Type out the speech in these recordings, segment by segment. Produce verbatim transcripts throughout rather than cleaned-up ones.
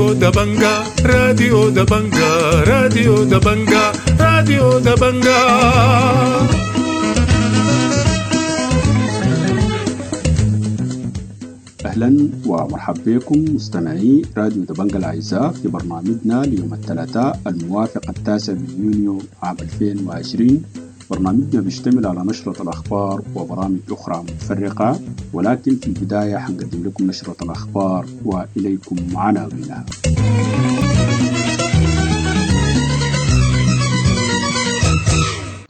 راديو دبنجا راديو دبنجا راديو دبنجا راديو دبنجا. أهلا ومرحبا بكم مستمعي راديو دبنجا الأعزاء في برنامجنا ليوم الثلاثاء الموافق التاسع من يونيو عام ألفين وعشرين. برنامجنا بيشتمل على نشرة الأخبار وبرامج أخرى متفرقة، ولكن في البداية حنقدم لكم نشرة الأخبار وإليكم عناوينها.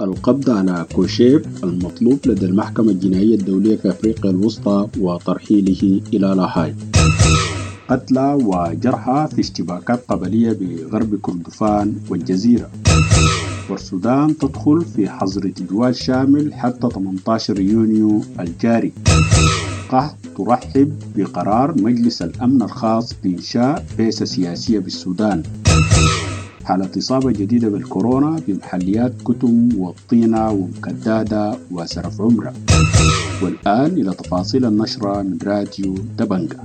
القبض على كوشيب المطلوب لدى المحكمة الجنائية الدولية في أفريقيا الوسطى وترحيله إلى لاهاي. قتلى وجرحى في اشتباكات قبلية بغرب كردفان والجزيرة. والسودان تدخل في حظر تجوال شامل حتى ثمانية عشر يونيو الجاري. قحط ترحب بقرار مجلس الأمن الخاص بإنشاء بعثة سياسية بالسودان. حالة إصابة جديدة بالكورونا بمحليات كتم والطينة ومكدادة وسرف عمرة. والآن إلى تفاصيل النشرة من راديو دبنجا.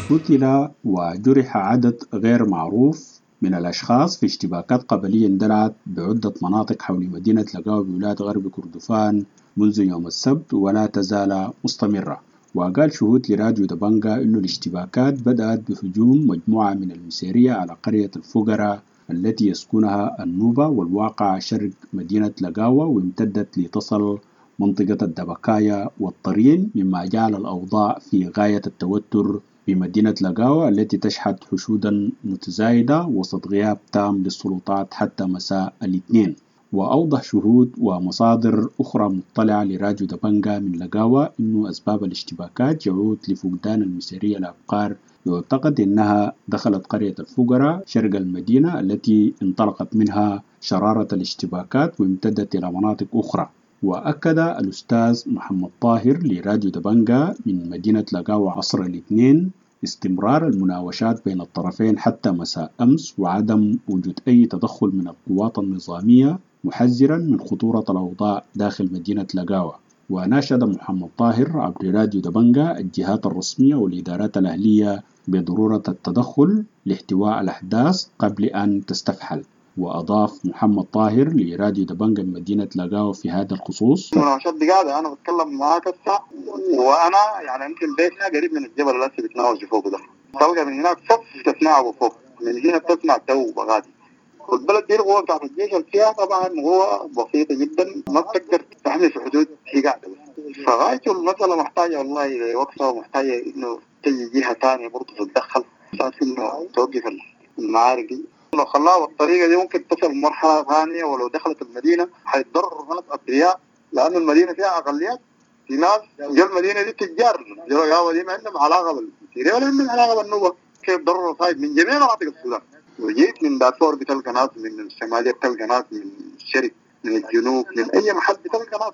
قتل وجرح عدد غير معروف من الأشخاص في اشتباكات قبلية اندلعت بعدة مناطق حول مدينة لقاوة بولاية غرب كردفان منذ يوم السبت ولا تزال مستمرة. وقال شهود لراديو دبنجا إنه الاشتباكات بدأت بهجوم مجموعة من المسيرية على قرية الفقراء التي يسكنها النوبة والواقع شرق مدينة لقاوة، وامتدت لتصل منطقة الدبكاية والطرين، مما جعل الأوضاع في غاية التوتر بمدينة لقاوة التي تشهد حشودا متزايدة وسط غياب تام للسلطات حتى مساء الاثنين. وأوضح شهود ومصادر أخرى مطلعة لراديو دبنجا من لقاوة أنه أسباب الاشتباكات يعود لفقدان المسيرية الأبقار، يعتقد أنها دخلت قرية الفقراء شرق المدينة التي انطلقت منها شرارة الاشتباكات وامتدت إلى مناطق أخرى. وأكد الأستاذ محمد طاهر لراديو دبنجا من مدينة لقاوة عصر الاثنين استمرار المناوشات بين الطرفين حتى مساء أمس وعدم وجود أي تدخل من القوات النظامية، محذرا من خطورة الأوضاع داخل مدينة لقاوة. وناشد محمد طاهر عبر راديو دبنجا الجهات الرسمية والإدارات الأهلية بضرورة التدخل لاحتواء الأحداث قبل أن تستفحل. وأضاف محمد طاهر لراديو دبنجا مدينة لقاوة في هذا الخصوص: المناوشات دي قاعدة، أنا بتكلم معاك هسه وأنا يعني يمكن بيتنا قريب من الجبل اللي هسه بتناوش فوق ده، تلقى من هناك صف تسمعه فوق، من هنا بتسمع تو بغادي. والبلد دي القوة بتاعت الجيش اللي فيها طبعا قوة بسيطة جدا، ما بتقدر تحمي في حدود هي قاعدة بس. فغايته المسألة محتاجة والله وقفة، ومحتاجة إنه تجي جهة ثانية برضه تتدخل أساس إنه توقف المعارك دي. لو خلاها بالطريقة دي ممكن تصل مرحلة ثانية، ولو دخلت المدينة حيتضرر ناس أبرياء، لأن المدينة فيها أقليات، في ناس جو المدينة دي تجار، جو دي ما عندهم علاقة بالسيريا ولا عندهم علاقة بالنوبة، كيف ضرروا صايب من جميع مناطق السودان. وجيت من دارفور بتلقى ناس، من الشمالية بتلقى ناس، من الشرق، من الجنوب، من أي محل بتلقى ناس.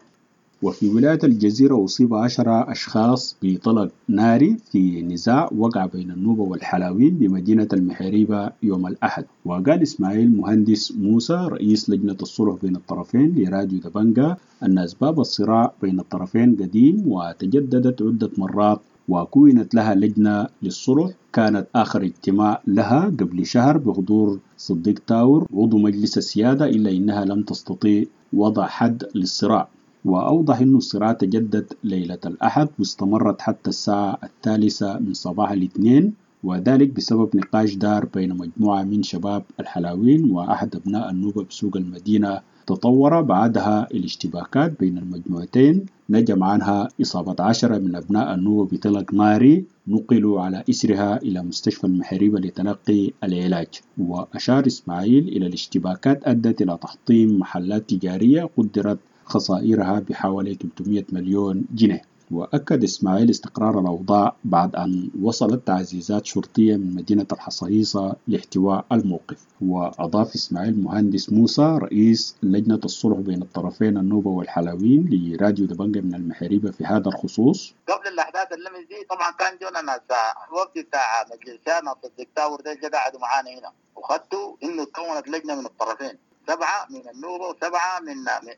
وفي ولاية الجزيرة أصيب عشرة أشخاص بطلق ناري في نزاع وقع بين النوبة والحلاوين بمدينة المحيريبة يوم الأحد. وقال إسماعيل مهندس موسى رئيس لجنة الصلح بين الطرفين لراديو دبنجا أن أسباب الصراع بين الطرفين قديم وتجددت عدة مرات، وكونت لها لجنة للصلح كانت آخر اجتماع لها قبل شهر بحضور صديق تاور عضو مجلس السيادة، إلا إنها لم تستطيع وضع حد للصراع. وأوضح أن الصراع تجدد ليلة الأحد واستمرت حتى الساعة الثالثة من صباح الاثنين، وذلك بسبب نقاش دار بين مجموعة من شباب الحلاوين وأحد أبناء النوبة بسوق المدينة. تطور بعدها الاشتباكات بين المجموعتين، نجم عنها إصابة عشرة من أبناء النوبة بطلق ناري نقلوا على إثرها إلى مستشفى المحريبة لتلقي العلاج. وأشار إسماعيل إلى الاشتباكات أدت إلى تحطيم محلات تجارية قدرت خسائرها بحوالي ثلاثمائة مليون جنيه. وأكد إسماعيل استقرار الأوضاع بعد أن وصلت تعزيزات شرطية من مدينة الحصيصة لاحتواء الموقف. وأضاف إسماعيل مهندس موسى رئيس لجنة الصلح بين الطرفين النوبة والحلاوين لراديو دبنجا من المحريبة في هذا الخصوص: قبل الأحداث اللمس دي طبعا كان جونا ناس الوقت بتاع مجلسنا صديق تاور ده قعدوا معانا هنا، وخدتوا إنه تكونت لجنة من الطرفين، سبعة من النوبة وسبعة من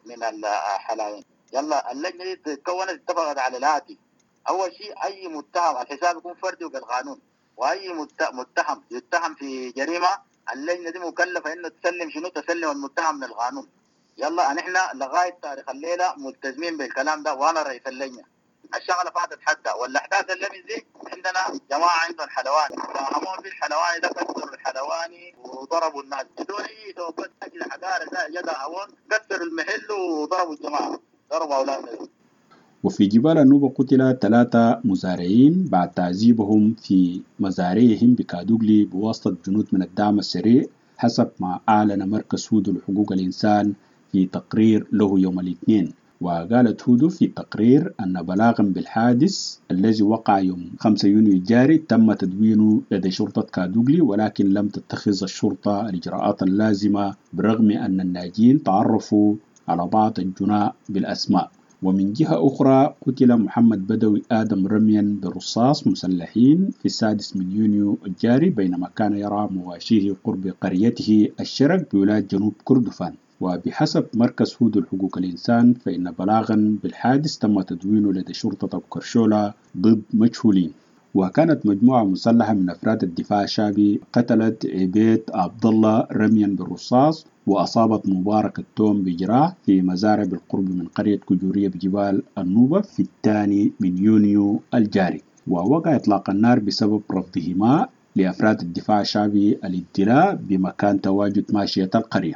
من الحلاوين. يلا اللجنة دي تكونت اتفقت على الآتي: اول شيء اي متهم الحساب يكون فردي وبالقانون، واي متهم يتهم في جريمة اللجنة دي مكلفة انه تسلم شنو؟ تسلم المتهم للقانون. يلا نحن لغاية تاريخ الليلة ملتزمين بالكلام ده، وانا رئيس اللجنة. الشغلة فاتت حتى والاحداث اللي دي عندنا جماعة عندهم حلواني، فهمون في الحلواني ده كسروا الحلواني وضربوا الناس بدون اي توقف، اجل حقارة جا هون كسروا المحل وضربوا الجماعة، ضربوا اولادنا. وفي جبال النوبة قتل ثلاثة مزارعين بعد تعذيبهم في مزارعهم بكادوغلي بواسطة جنود من الدعم السريع، حسب ما أعلن مركز هودو لحقوق الإنسان في تقرير له يوم الاثنين. وقالت هودو في التقرير أن بلاغا بالحادث الذي وقع يوم خمسة يونيو الجاري تم تدوينه لدى شرطة كادوغلي، ولكن لم تتخذ الشرطة الإجراءات اللازمة برغم أن الناجين تعرفوا على بعض الجناء بالأسماء. ومن جهة أخرى قتل محمد بدوي آدم رميا برصاص مسلحين في السادس من يونيو الجاري بينما كان يرعى مواشيه قرب قريته الشرق بولاية جنوب كردفان. وبحسب مركز هودو لحقوق الإنسان فإن بلاغا بالحادث تم تدوينه لدى شرطة أبو كرشولا ضد مجهولين. وكانت مجموعة مسلحة من أفراد الدفاع الشعبي قتلت عبيد عبد الله رميا بالرصاص وأصابت مبارك التوم بجراح في مزارع بالقرب من قرية كجورية بجبال النوبة في الثاني من يونيو الجاري. ووقع إطلاق النار بسبب رفضهما لأفراد الدفاع الشعبي الابتلاء بمكان تواجد ماشية القرية.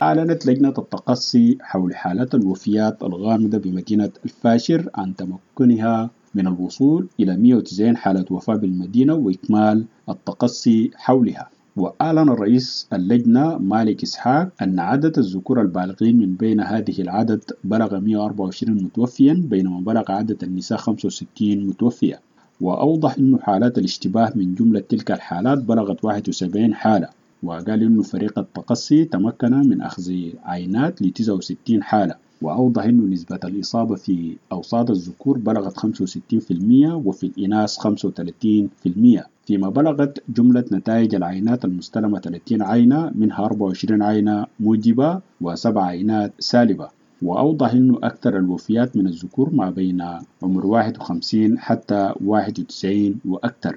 أعلنت لجنة التقصي حول حالات الوفيات الغامضة بمدينة الفاشر عن تمكنها من الوصول إلى مئة وتسعين حالة وفاة بالمدينة وإكمال التقصي حولها. وأعلن رئيس اللجنة مالك إسحاق أن عدد الذكور البالغين من بين هذه العدد بلغ مئة وأربعة وعشرين متوفيا، بينما بلغ عدد النساء خمسة وستين متوفية. وأوضح أن حالات الاشتباه من جملة تلك الحالات بلغت واحد وسبعين حالة. وقال أنه فريق التقصي تمكن من أخذ عينات ل تسعة وستين حالة. وأوضح أنه نسبة الإصابة في أوساط الذكور بلغت خمسة وستين في المية وفي الإناث خمسة وثلاثين في المية، فيما بلغت جملة نتائج العينات المستلمة ثلاثين عينة، منها أربعة وعشرين عينة موجبة وسبع عينات سالبة. وأوضح أنه أكثر الوفيات من الذكور ما بين عمر واحد وخمسين حتى واحد وتسعين وأكثر.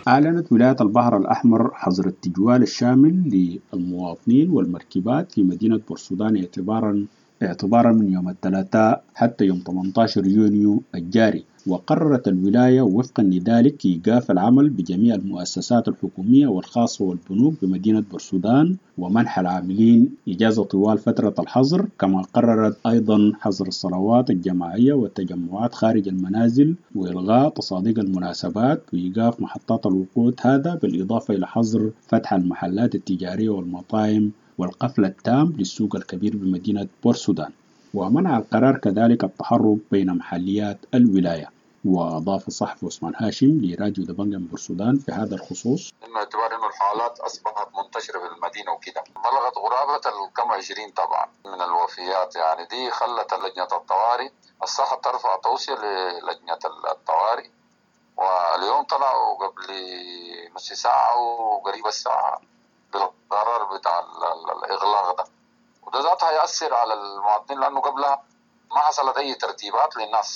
أعلنت ولاية البحر الأحمر حظر التجوال الشامل للمواطنين والمركبات في مدينة بورسودان اعتبارا اعتبارا من يوم الثلاثاء حتى يوم ثمانية عشر يونيو الجاري. وقررت الولاية وفقا لذلك إيقاف العمل بجميع المؤسسات الحكومية والخاصة والبنوك بمدينة بورسودان ومنح العاملين إجازة طوال فترة الحظر. كما قررت أيضا حظر الصلوات الجماعية والتجمعات خارج المنازل وإلغاء تصاديق المناسبات وإيقاف محطات الوقود، هذا بالإضافة إلى حظر فتح المحلات التجارية والمطاعم والقفل التام للسوق الكبير بمدينة بورسودان. ومنع القرار كذلك التحرك بين محليات الولاية. وأضاف الصحفي عثمان هاشم لراديو دبنجا من بورسودان في هذا الخصوص: إنه اعتبار إنه الحالات أصبحت منتشرة في المدينة وكده، بلغت قرابة الكم عشرين طبعا من الوفيات، يعني دي خلت لجنة الطوارئ الصحة ترفع توصية للجنة الطوارئ، واليوم طلعوا قبل نص ساعة وقريب الساعة بالقرار بتاع الإغلاق ده، وده ذاتها هيأثر على المواطنين لأنه قبلها ما حصلت أي ترتيبات للناس.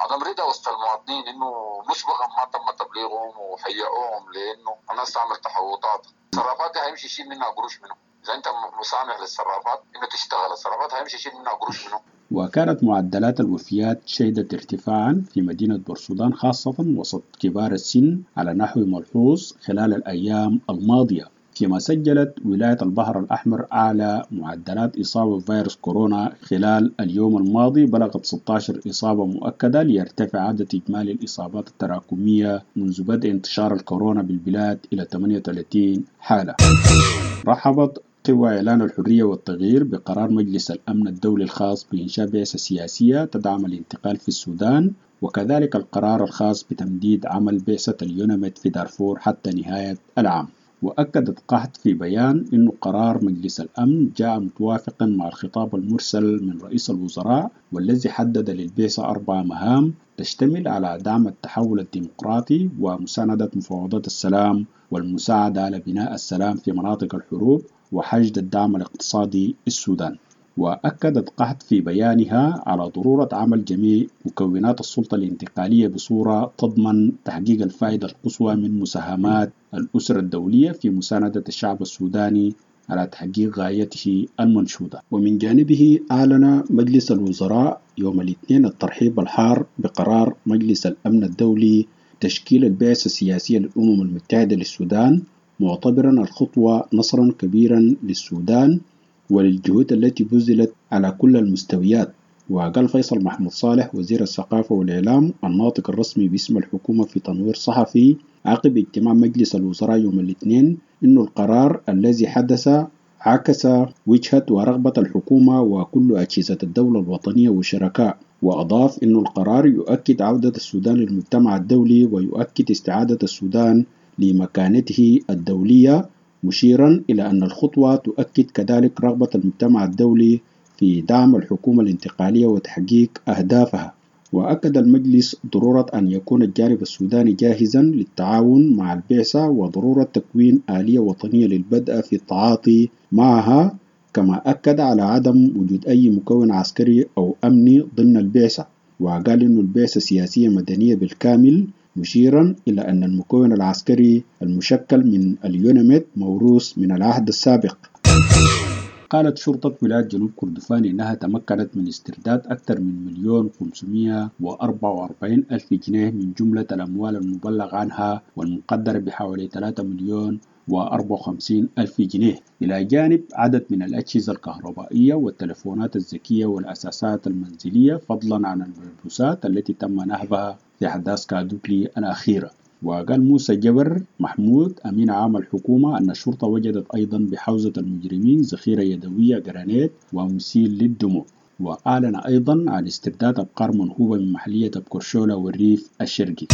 عدم رضا وسط المواطنين انه مسبقا ما تم تبليغهم وحيئوهم لانه الناس تعمل تحوطات. الصرافات دي هيمشي يشيل منها قروش منه، اذا انت مسامح للصرافات انه تشتغل الصرافات هيمشي يشيل منها قروش منه. وكانت معدلات الوفيات شهدت ارتفاعا في مدينة بورسودان خاصة وسط كبار السن على نحو ملحوظ خلال الأيام الماضية، فيما سجلت ولاية البحر الأحمر أعلى معدلات إصابة بفيروس كورونا خلال اليوم الماضي، بلغت ستة عشر إصابة مؤكدة، ليرتفع عدد إجمالي الإصابات التراكمية منذ بدء انتشار الكورونا بالبلاد إلى ثمانية وثلاثين حالة. رحبت قوى إعلان الحرية والتغيير بقرار مجلس الأمن الدولي الخاص بإنشاء بعثة سياسية تدعم الانتقال في السودان، وكذلك القرار الخاص بتمديد عمل بعثة اليوناميد في دارفور حتى نهاية العام. وأكدت قحت في بيان أن قرار مجلس الأمن جاء متوافقا مع الخطاب المرسل من رئيس الوزراء، والذي حدد للبعثة أربع مهام تشتمل على دعم التحول الديمقراطي ومساندة مفاوضات السلام والمساعدة على بناء السلام في مناطق الحروب وحشد الدعم الاقتصادي للسودان. وأكدت قحت في بيانها على ضرورة عمل جميع مكونات السلطة الانتقالية بصورة تضمن تحقيق الفائدة القصوى من مساهمات الأسرة الدولية في مساندة الشعب السوداني على تحقيق غايته المنشودة. ومن جانبه أعلن مجلس الوزراء يوم الاثنين الترحيب الحار بقرار مجلس الأمن الدولي تشكيل البعثة السياسية للأمم المتحدة للسودان، معتبرا الخطوة نصرا كبيرا للسودان وللجهود التي بذلت على كل المستويات. وقال فيصل محمود صالح وزير الثقافة والإعلام الناطق الرسمي باسم الحكومة في تنوير صحفي عقب اجتماع مجلس الوزراء يوم الاثنين إنه القرار الذي حدث عكس وجهة ورغبة الحكومة وكل أجهزة الدولة الوطنية والشركاء. وأضاف أن القرار يؤكد عودة السودان للمجتمع الدولي ويؤكد استعادة السودان لمكانته الدولية، مشيرا إلى أن الخطوة تؤكد كذلك رغبة المجتمع الدولي في دعم الحكومة الانتقالية وتحقيق أهدافها. وأكد المجلس ضرورة أن يكون الجانب السوداني جاهزا للتعاون مع البعثة وضرورة تكوين آلية وطنية للبدء في التعاطي معها، كما أكد على عدم وجود أي مكون عسكري أو أمني ضمن البعثة. وقال إن البعثة سياسية مدنية بالكامل، مشيرا إلى أن المكون العسكري المشكل من اليوناميد موروث من العهد السابق. قالت شرطة ولاية جنوب كردفان إنها تمكنت من استرداد أكثر من مليون خمسمائة وأربعة وأربعين ألف جنيه من جملة الأموال المبلغ عنها والمقدرة بحوالي ثلاثة مليون وأربعة وخمسين ألف جنيه، إلى جانب عدد من الأجهزة الكهربائية والتلفونات الذكية والأساسات المنزلية، فضلا عن الملبوسات التي تم نهبها في أحداث كادوكلي الأخيرة. وقال موسى جبر محمود أمين عام الحكومة أن الشرطة وجدت أيضا بحوزة المجرمين ذخيرة يدوية جرانيت ومسيل للدموع. وأعلن أيضا عن استرداد أبقار منهوبة من محلية أبكرشولا والريف الشرقي.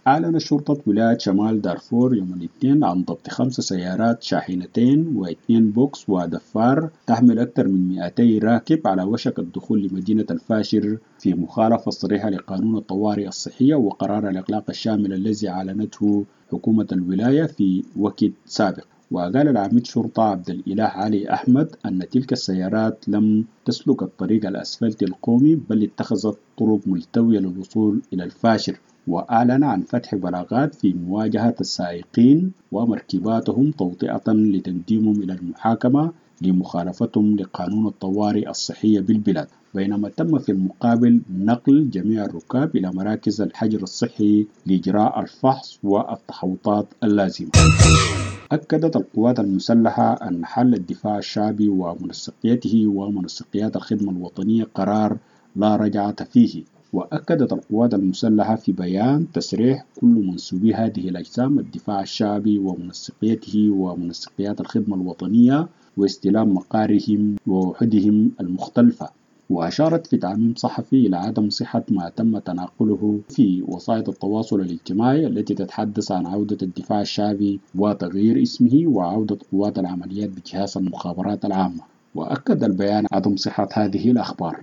أعلن شرطة ولاية شمال دارفور يوم الاثنين عن ضبط خمس سيارات شاحنتين واثنين بوكس ودفار تحمل أكثر من مئتي راكب على وشك الدخول لمدينة الفاشر في مخالفة صريحة لقانون الطوارئ الصحية وقرار الإغلاق الشامل الذي أعلنته حكومة الولاية في وقت سابق. وقال العميد شرطة عبد الإله علي أحمد أن تلك السيارات لم تسلك الطريق الأسفلتي القومي بل اتخذت طرق ملتوية للوصول إلى الفاشر. وأعلن عن فتح بلاغات في مواجهة السائقين ومركباتهم توطئة لتقديمهم إلى المحاكمة لمخالفتهم لقانون الطوارئ الصحية بالبلاد، بينما تم في المقابل نقل جميع الركاب إلى مراكز الحجر الصحي لإجراء الفحص والتحوطات اللازمة. أكدت القوات المسلحة أن حل الدفاع الشعبي ومنسقيته ومنسقيات الخدمة الوطنية قرار لا رجعة فيه. وأكدت القوات المسلحة في بيان تسريح كل منسوبي هذه الأجسام الدفاع الشعبي ومنسقيته ومنسقيات الخدمة الوطنية واستلام مقارهم ووحدهم المختلفة. وأشارت في تعميم صحفي إلى عدم صحة ما تم تناقله في وسائل التواصل الاجتماعي التي تتحدث عن عودة الدفاع الشعبي وتغيير اسمه وعودة قوات العمليات بجهاز المخابرات العامة. وأكد البيان عدم صحة هذه الأخبار.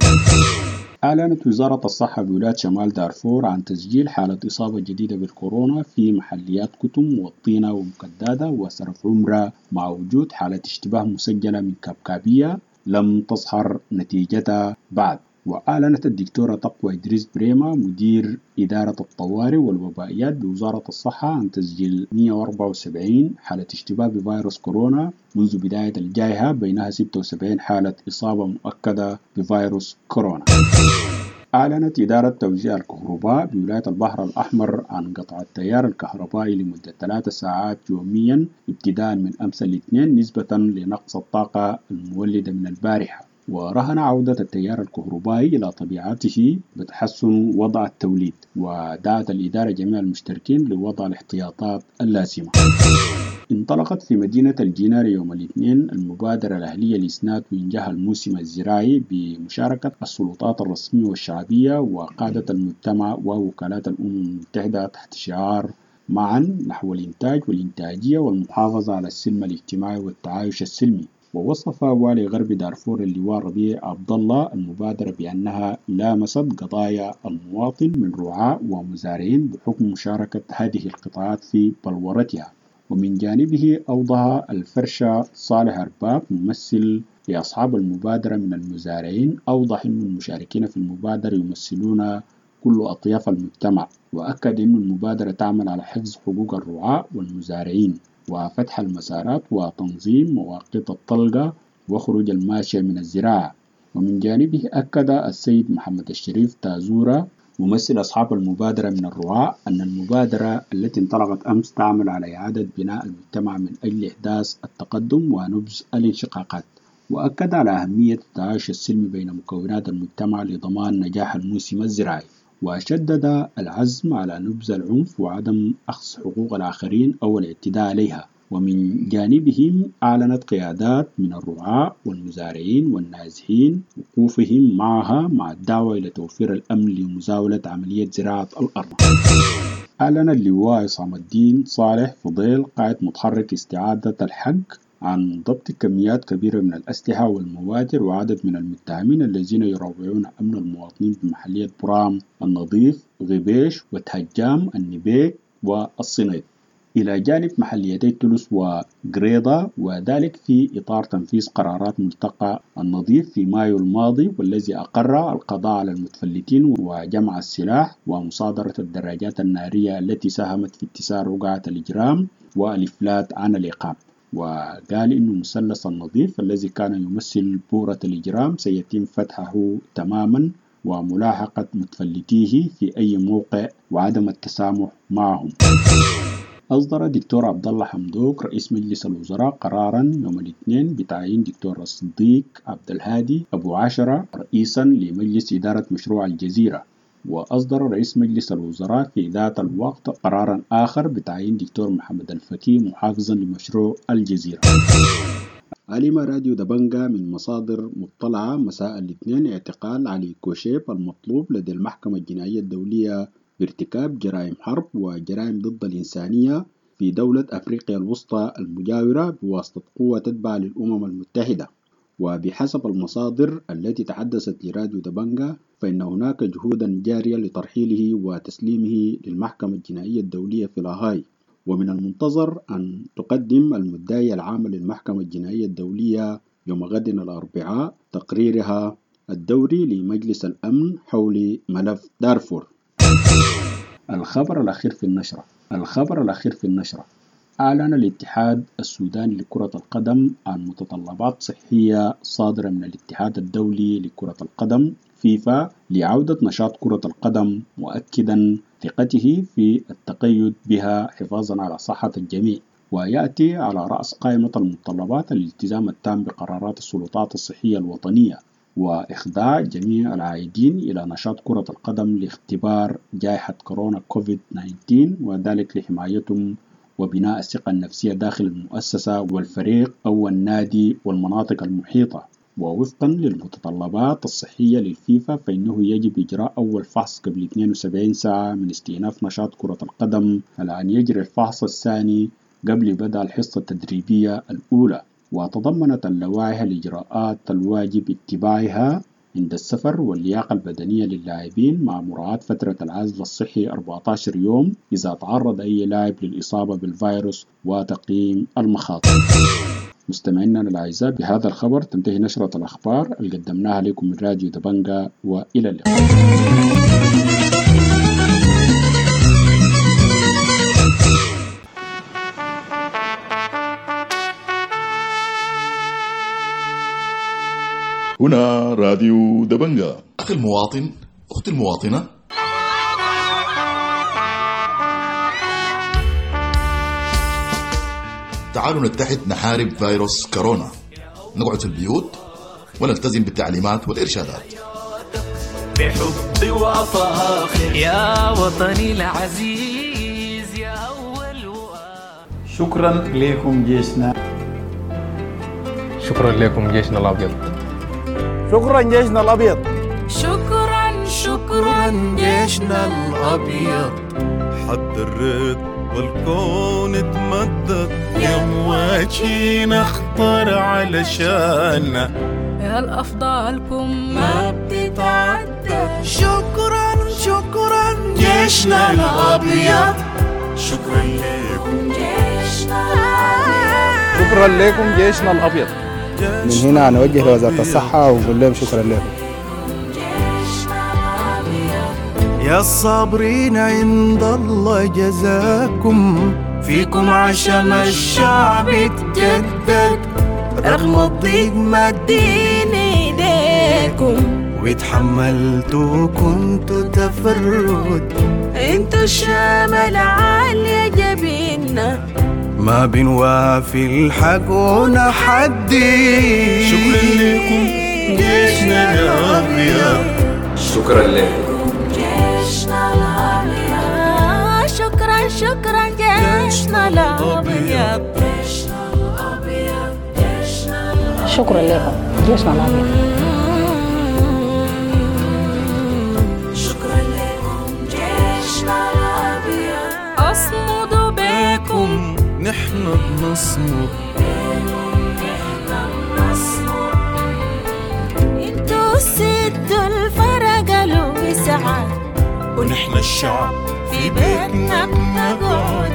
أعلنت وزارة الصحة بولاية شمال دارفور عن تسجيل حالة إصابة جديدة بالكورونا في محليات كتم والطينة ومكدادة وسرف عمرة، مع وجود حالة اشتباه مسجلة من كبكابية لم تظهر نتيجتها بعد. وأعلنت الدكتورة تقوى إدريس بريمة مدير إدارة الطوارئ والوبائيات بوزارة الصحة عن تسجيل مئة وأربعة وسبعين حالة اشتباه بفيروس كورونا منذ بداية الجائحة، بينها ستة وسبعين حالة إصابة مؤكدة بفيروس كورونا. أعلنت إدارة توزيع الكهرباء بولاية البحر الأحمر عن قطع التيار الكهربائي لمدة ثلاث ساعات يوميا ابتداء من أمس الاثنين نسبة لنقص الطاقة المولدة من البارحة. ورهن عودة التيار الكهربائي إلى طبيعته بتحسن وضع التوليد، ودعت الإدارة جميع المشتركين لوضع الاحتياطات اللازمة. انطلقت في مدينة الجنار يوم الاثنين المبادرة الأهلية لإسناد وإنجاح الموسم الزراعي بمشاركة السلطات الرسمية والشعبية وقادة المجتمع ووكالات الأمم المتحدة تحت شعار معا نحو الإنتاج والإنتاجية والمحافظة على السلم الاجتماعي والتعايش السلمي. ووصف والي غرب دارفور اللواء ربيع عبد الله المبادرة بأنها لامست قضايا المواطن من رعاة ومزارعين بحكم مشاركة هذه القطاعات في بلورتها. ومن جانبه أوضح الفرشة صالح أرباب ممثل لأصحاب المبادرة من المزارعين، أوضح أن المشاركين في المبادرة يمثلون كل أطياف المجتمع، وأكد أن المبادرة تعمل على حفظ حقوق الرعاة والمزارعين وفتح المسارات وتنظيم مواقيت الطلقة وخروج الماشية من الزراعة. ومن جانبه أكد السيد محمد الشريف تازورة ممثل أصحاب المبادرة من الرعاة أن المبادرة التي انطلقت أمس تعمل على إعادة بناء المجتمع من أجل إحداث التقدم ونبذ الانشقاقات، وأكد على أهمية التعايش السلمي بين مكونات المجتمع لضمان نجاح الموسم الزراعي، وشدد العزم على نبذ العنف وعدم أخذ حقوق الآخرين أو الاعتداء عليها. ومن جانبهم أعلنت قيادات من الرعاة والمزارعين والنازحين وقوفهم معها مع الدعوة إلى توفير الأمن لمزاولة عملية زراعة الأرض. أعلن اللواء عصام الدين صالح فضيل قائد متحرك استعادة الحق عن ضبط كميات كبيرة من الأسلحة والمواتر وعدد من المتهمين الذين يروعون أمن المواطنين بمحلية برام النظيف غبيش وتهجام النبيك والصنيد، إلى جانب محليتي تونس وقريضة، وذلك في إطار تنفيذ قرارات ملتقى النظيف في مايو الماضي، والذي أقر القضاء على المتفلتين وجمع السلاح ومصادرة الدراجات النارية التي ساهمت في اتساع رقعة الإجرام والإفلات عن العقاب. وقال إنه مثلث النظيف الذي كان يمثل بورة الإجرام سيتم فتحه تماما وملاحقة متفلتيه في أي موقع وعدم التسامح معهم. أصدر دكتور عبد الله حمدوك رئيس مجلس الوزراء قرارا يوم الاثنين بتعيين دكتور الصديق عبد الهادي أبو عشرة رئيسا لمجلس إدارة مشروع الجزيرة. وأصدر رئيس مجلس الوزراء في ذات الوقت قرارا آخر بتعيين دكتور محمد الفكي محافظا لمشروع الجزيرة. علم راديو دبنجا من مصادر مطلعة مساء الاثنين اعتقال علي كوشيب المطلوب لدى المحكمة الجنائية الدولية بارتكاب جرائم حرب وجرائم ضد الإنسانية في دولة أفريقيا الوسطى المجاورة بواسطة قوة تتبع للأمم المتحدة. وبحسب المصادر التي تحدثت لراديو دبنجا فإن هناك جهودا جارية لترحيله وتسليمه للمحكمة الجنائية الدولية في لاهاي. ومن المنتظر أن تقدم المدعية العامة للمحكمة الجنائية الدولية يوم غد الأربعاء تقريرها الدوري لمجلس الأمن حول ملف دارفور. الخبر الأخير في النشرة الخبر الأخير في النشرة أعلن الاتحاد السوداني لكرة القدم عن متطلبات صحية صادرة من الاتحاد الدولي لكرة القدم فيفا لعودة نشاط كرة القدم، مؤكدا ثقته في التقيد بها حفاظا على صحة الجميع. ويأتي على رأس قائمة المتطلبات الالتزام التام بقرارات السلطات الصحية الوطنية وإخضاع جميع العائدين إلى نشاط كرة القدم لاختبار جائحة كورونا كوفيد تسعة عشر، وذلك لحمايتهم وبناء الثقة النفسية داخل المؤسسة والفريق أو النادي والمناطق المحيطة. ووفقا للمتطلبات الصحية للفيفا فإنه يجب إجراء أول فحص قبل اثنين وسبعين ساعة من استئناف نشاط كرة القدم، على أن يجري الفحص الثاني قبل بدء الحصة التدريبية الأولى. وتضمنت اللوائح الإجراءات الواجب اتباعها عند السفر واللياقة البدنية للاعبين مع مراعاة فترة العزل الصحي أربعة عشر يوم إذا تعرض أي لاعب للإصابة بالفيروس وتقييم المخاطر. مستمعينا الأعزاء، بهذا الخبر تنتهي نشرة الأخبار اللي قدمناها لكم من راديو دبنجا، وإلى اللقاء. هنا راديو دبنجا. أخي المواطن، أختي المواطنة، تعالوا نتحد نحارب فيروس كورونا، نقعد في البيوت ونلتزم بالتعليمات والإرشادات. بحب وفخر يا وطني العزيز يا أول وآخر. شكرا لكم جيشنا. شكرا لكم جيشنا الأبيض. شكرا جيشنا الأبيض. شكرا شكرا جيشنا الأبيض. حد الرد والكون اتمدد يا مواجهين اخطر علشاننا، يا الأفضلكم ما بتتعدى. شكرا شكرا جيشنا الأبيض. شكرا لكم جيشنا. شكرا لكم جيشنا الأبيض. من هنا نوجه لوزارة الصحة ونقول لهم شكرا لكم. يا الصابرين عند الله جزاكم، فيكم عشم الشعب اتجدد، رغم الضيق مدين ايديكم واتحملتوا كنتوا تفرد، انتوا الشام العالية جبيننا، ما بنوافي الحق ونحدي. شكرا لكم جيشنا الأبيض. شكرا لكم جيشنا الأبيض. شكرا شكرا جيشنا الأبيض. جيشنا الأبيض جيشنا الأبيض. شكرا لكم جيشنا الأبيض. شكرا لكم جيشنا الأبيض. أصمد بكم نحن بنصمد، نحن بنصمد، انتوا سدوا الفرق الوسعة، ونحن الشعب في بيتنا بنقعد،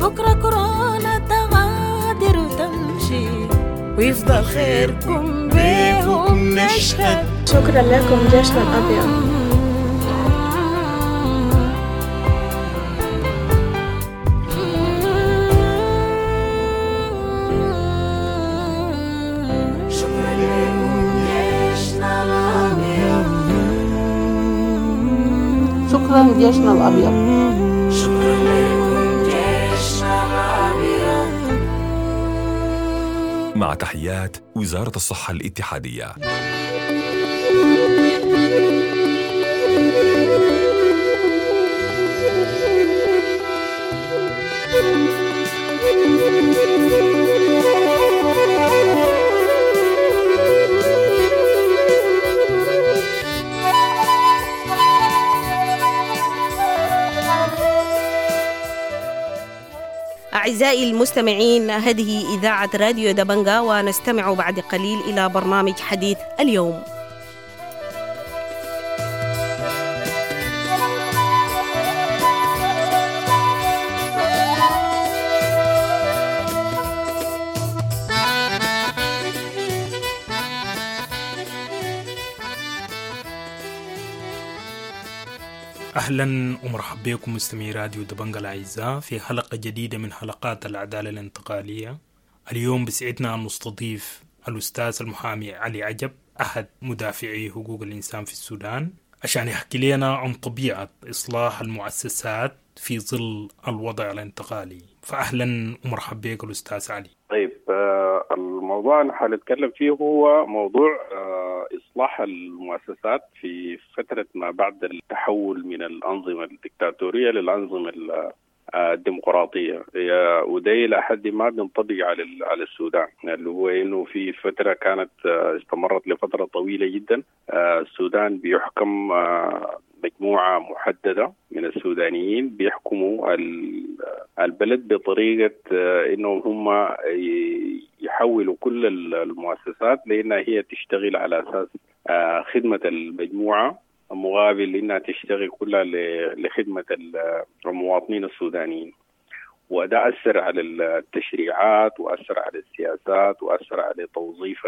بكرة كورونا تغادر وتمشي، ويفضل خيركم بيهم نشهد. شكرا لكم جيشنا الأبيض. شكرا لكم جيشنا الأبيض. شكرا جيشنا الأبيض. شكرا لكم جيشنا الأبيض. مع تحيات وزارة الصحة الاتحادية. أعزائي المستمعين، هذه إذاعة راديو دبنجا، ونستمع بعد قليل إلى برنامج حديث اليوم. أهلا ومرحبا بكم مستمعي راديو دبنجا الأعزاء في حلقة جديدة من حلقات العدالة الانتقالية. اليوم بسعدنا أن نستضيف الأستاذ المحامي علي عجب، أحد مدافعي حقوق الإنسان في السودان، عشان يحكي لنا عن طبيعة إصلاح المؤسسات في ظل الوضع الانتقالي. فأهلا ومرحبا بك الأستاذ علي. طيب، الموضوع اللي حنتكلم فيه هو موضوع إصلاح المؤسسات في فترة ما بعد التحول من الأنظمة الدكتاتورية للأنظمة الديمقراطية، وده إلى حد ما بينطبق على على السودان، اللي هو إنه في فترة كانت استمرت لفترة طويلة جدا السودان بيحكم مجموعة محددة من السودانيين بيحكموا البلد بطريقة إنهم هم يحولوا كل المؤسسات لأنها هي تشتغل على أساس خدمة المجموعة، مقابل إنها تشتغل كلها لخدمة المواطنين السودانيين. وده أثر على التشريعات، وأثر على السياسات، وأثر على توظيف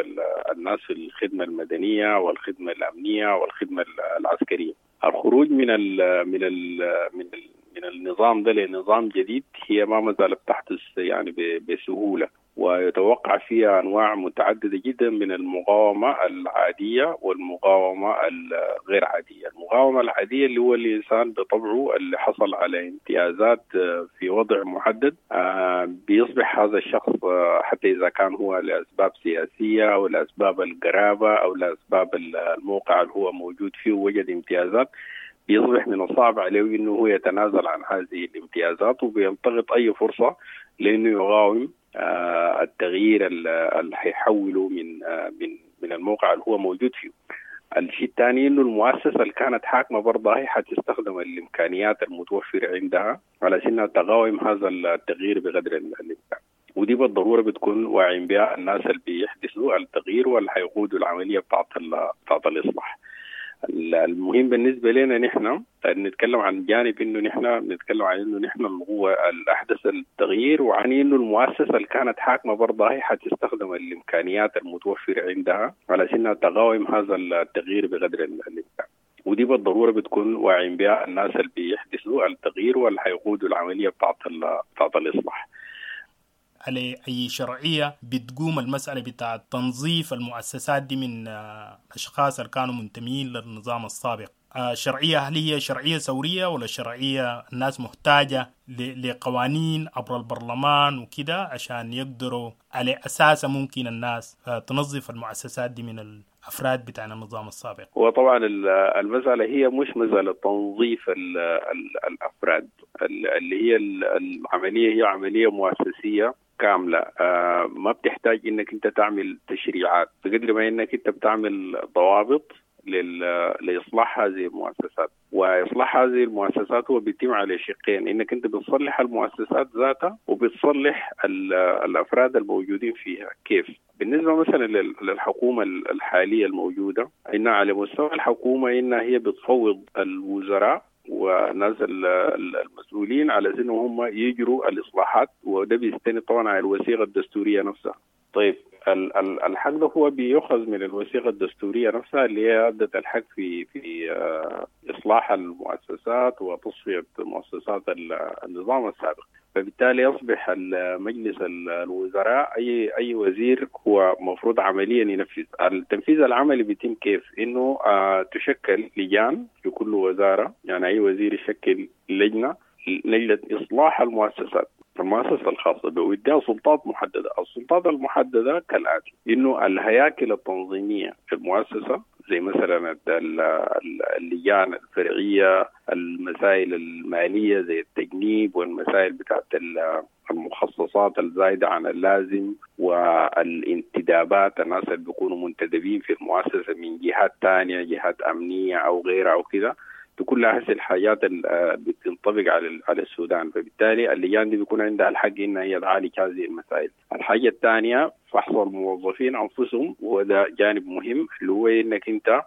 الناس في الخدمة المدنية والخدمة الأمنية والخدمة العسكرية. الخروج من ال من ال من ال من النظام ده لنظام جديد هي ما ما زالت تحدث يعني بسهولة، ويتوقع فيها أنواع متعددة جدا من المقاومة العادية والمقاومة الغير عادية. المقاومة العادية اللي هو الإنسان بطبعه اللي حصل على امتيازات في وضع محدد، بيصبح هذا الشخص حتى إذا كان هو لأسباب سياسية أو لأسباب القرابة أو لأسباب الموقع اللي هو موجود فيه وجد امتيازات، بيصبح من الصعب عليه إنه هو يتنازل عن هذه الامتيازات، وبيلتقط أي فرصة لأنه يقاوم التغيير اللي حيحوله من من من الموقع اللي هو موجود فيه. الشيء الثاني انه المؤسسة اللي كانت حاكمه برضه هي حتستخدم الامكانيات المتوفرة عندها على انها تقاوم هذا التغيير بقدر الامكان، ودي بالضرورة بتكون واعين بها الناس اللي بيحدثوا التغيير واللي حيقودوا العملية بتاعت بتاعت الاصلاح. المهم بالنسبة لنا نحن نتكلم عن جانب إنه نحن نتكلم عن إنه نحن هو الأحدث التغيير، وعن إنه المؤسسة اللي كانت حاكمة برضه هي حتستخدم الإمكانيات المتوفرة عندها على أنها تقاوم هذا التغيير بقدر الإمكان. ودي بالضرورة بتكون واعين بها الناس اللي بيحدثوا التغيير واللي حيقودوا العملية بتاعت بتاعت الإصلاح. على أي شرعية بتقوم المسألة بتاع تنظيف المؤسسات دي من أشخاص اللي كانوا منتمين للنظام السابق؟ شرعية هل هي شرعية ثورية ولا شرعية الناس محتاجة لقوانين عبر البرلمان وكده عشان يقدروا على أساسا ممكن الناس تنظف المؤسسات دي من الأفراد بتاع النظام السابق؟ وطبعا المسألة هي مش مسألة تنظيف ال ال الأفراد، اللي هي العملية هي عملية مؤسسية كاملة، ما بتحتاج إنك أنت تعمل تشريعات بقدر ما إنك أنت بتعمل ضوابط لإصلاح هذه المؤسسات. وإصلاح هذه المؤسسات هو بيتم على شقين، إنك أنت بتصلح المؤسسات ذاتها وبتصلح الأفراد الموجودين فيها. كيف؟ بالنسبة مثلا للحكومة الحالية الموجودة، إنها على مستوى الحكومة إنها هي بتفوض الوزراء والناس المسؤولين على أنهم هم يجروا الإصلاحات، وده بيستند طبعا على الوثيقة الدستورية نفسها. طيب الحق ده هو بيؤخذ من الوثيقة الدستورية نفسها اللي هي أدت الحق في في إصلاح المؤسسات وتصفية مؤسسات النظام السابق. فبالتالي يصبح مجلس الوزراء أي أي وزير هو مفروض عمليا ينفذ. التنفيذ العملي بيتم كيف؟ إنه تشكل لجان في كل وزارة، يعني أي وزير يشكل لجنة لجنة إصلاح المؤسسات، المؤسسة الخاصة به، ويديها سلطات محددة. السلطات المحددة كالآتي: إنه الهياكل التنظيمية في المؤسسة زي مثلا اللجان الفرعية، المسائل المالية زي التجنيب والمسائل بتاعت المخصصات الزايدة عن اللازم والانتدابات، الناس اللي بيكونوا منتدبين في المؤسسة من جهات تانية، جهات أمنية أو غيرها أو كده، كل هذه الحاجات اللي بتنطبق على على السودان. فبالتالي اللجان دي بيكون عندها الحق انها هي تعالج هذه المسائل. الحاجة الثانية فحص الموظفين انفسهم، وده جانب مهم اللي هو انك انت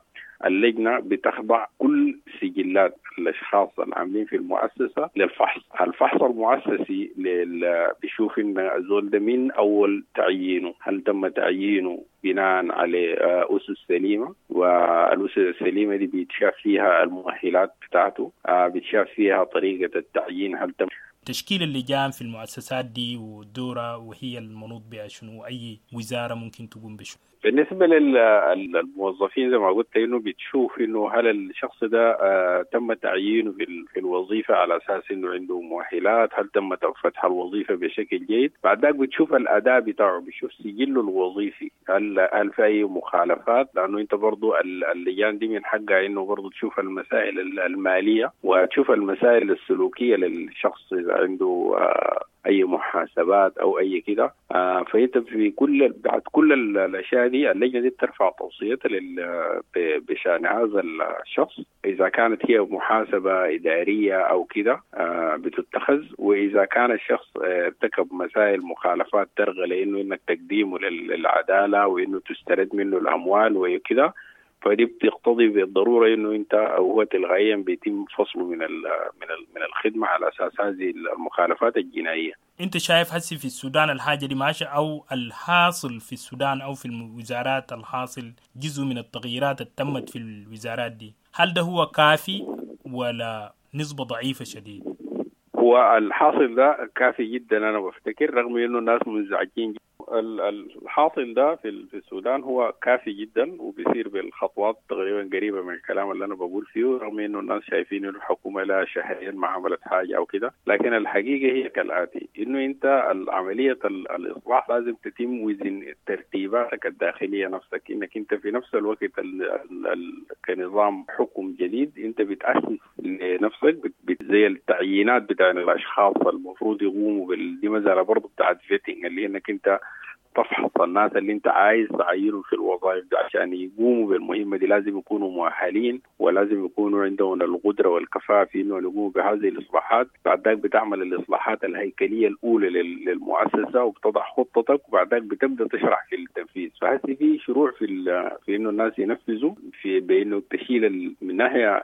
اللجنة بتخضع كل سجلات الاشخاص العاملين في المؤسسة للفحص. الفحص المؤسسي لل... بيشوف ان الزول ده من اول تعيينه هل تم تعيينه بناء على اسس سليمة، والاسس السليمة دي بيتشاف فيها المؤهلات بتاعته، بيتشاف فيها طريقه التعيين، هل تم تشكيل اللجان في المؤسسات دي والدورة وهي المنوط بها شنو، أي وزارة ممكن تقوم بشنو؟ بالنسبة للموظفين زي ما قلت إنه بتشوف إنه هل الشخص ده آه تم تعيينه في الوظيفة على أساس إنه عنده مؤهلات، هل تم فتح الوظيفة بشكل جيد. بعد ذاك بتشوف الأداء بتاعه، بتشوف سجله الوظيفي، هل هل في أي مخالفات، لأنه أنت برضو اللجان دي من حقها إنه برضو تشوف المسائل المالية وتشوف المسائل السلوكية للشخص إذا عنده آه اي محاسبات او اي كده. آه فانت في كل بعد كل الاشياء دي اللجنة دي بترفع توصيتها بشان هذا الشخص، اذا كانت هي محاسبه ادارية او كده آه بتتخذ، واذا كان الشخص ارتكب مسائل مخالفات ترغى لانه انك تقديمه للعدالة وانه تسترد منه الاموال وكده، فدي بتقتضي بالضرورة انه انت او هو تلغائيا بيتم فصله من ال من ال من الخدمة على اساس هذه المخالفات الجنائية. انت شايف هسي في السودان الحاجة دي ماشية، او الحاصل في السودان او في الوزارات الحاصل جزء من التغييرات اللي تمت في الوزارات دي، هل ده هو كافي ولا نسبه ضعيفة شديد؟ هو الحاصل ده كافي جدا انا بفتكر، رغم انه الناس منزعجين. الحاصل ده في السودان هو كافي جدا وبيصير بالخطوات تقريبا قريبه من الكلام اللي انا بقول فيه، رغم انه الناس شايفين انه الحكومة لها شهرين ما عملت حاجة او كده، لكن الحقيقة هي كالاتي: انه انت العملية الاصلاح لازم تتم وزن ترتيباتك الداخلية نفسك، انك انت في نفس الوقت ال ال ال كنظام حكم جديد انت بتاسس لنفسك زي التعيينات بتاع الاشخاص المفروض يقوموا بال دي مسالة برضه بتاعت vetting، اللي انك انت تفحص الناس اللي انت عايز تعينهم في الوظائف دي عشان يقوموا بالمهمة دي، لازم يكونوا مؤهلين ولازم يكونوا عندهم القدرة والكفاءة في انه يقوموا بهذه الإصلاحات. بعد ذاك بتعمل الإصلاحات الهيكلية الأولى للمؤسسة وبتضع خطتك، وبعد ذاك بتبدأ تشرح في التنفيذ. فهسه في شروع في في انه الناس ينفذوا في بانه تشيل من ناحية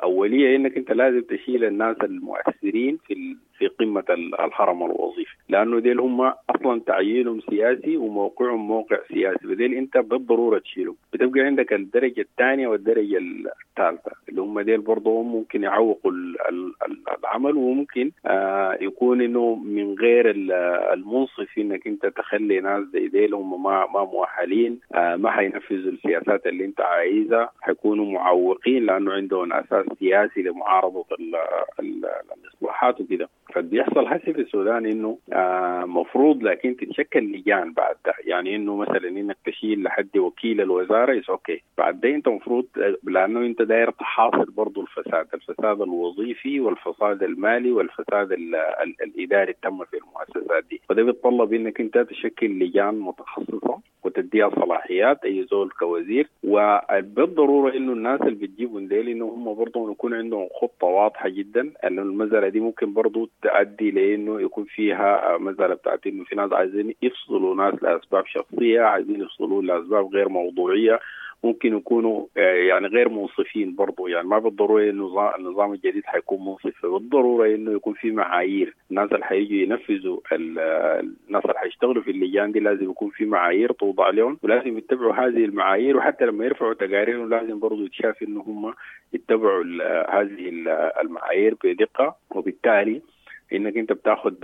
أولية انك انت لازم تشيل الناس المؤثرين في في قمة الهرم الوظيفي، لأنه ديل هم أصلا تعيينهم سياسي وموقعهم موقع سياسي، بديل أنت بالضرورة تشيلهم. بتبقى عندك الدرجة الثانية والدرجة الثالثة اللي هم ديل برضو ممكن يعوقوا العمل، وممكن آه يكون إنه من غير المنصف إنك أنت تخلي ناس زي ديل هم ما ما مؤهلين، آه ما حينفذوا السياسات اللي أنت عايزها، حيكونوا معوقين لأنه عندهم أساس سياسي لمعارضة الإصلاحات وكده. فبيحصل هسه في السودان انه آه مفروض لكن تتشكل لجان بعد ده، يعني انه مثلا انك تشيل لحد وكيل الوزارة is okay، بعد ده انت مفروض لانه انت داير تحاصر برضه الفساد، الفساد الوظيفي والفساد المالي والفساد ال ال الاداري التم في المؤسسات دي، فده بيتطلب انك انت تشكل لجان متخصصة وتديها صلاحيات اي زول كوزير، وبالضروره انه الناس اللي بتجيبهم ديل انه هم برضه يكون عندهم خطه واضحة جدا، انه المسالة دي ممكن برضه تؤدي لانه يكون فيها مسالة بتاعت انه في ناس عايزين يفصلوا ناس لاسباب شخصية، عايزين يفصلوا لاسباب غير موضوعية، ممكن يكونوا يعني غير منصفين برضو. يعني ما بالضرورة انه النظام الجديد حيكون منصف، بالضرورة انه يكون في معايير، الناس اللي حيجوا ينفذوا، الناس اللي حيشتغلوا في اللجان دي لازم يكون في معايير توضع لهم ولازم يتبعوا هذه المعايير، وحتى لما يرفعوا تقاريرهم لازم برضو يتشاف انه هم يتبعوا هذه المعايير بدقة، وبالتالي انك انت بتاخد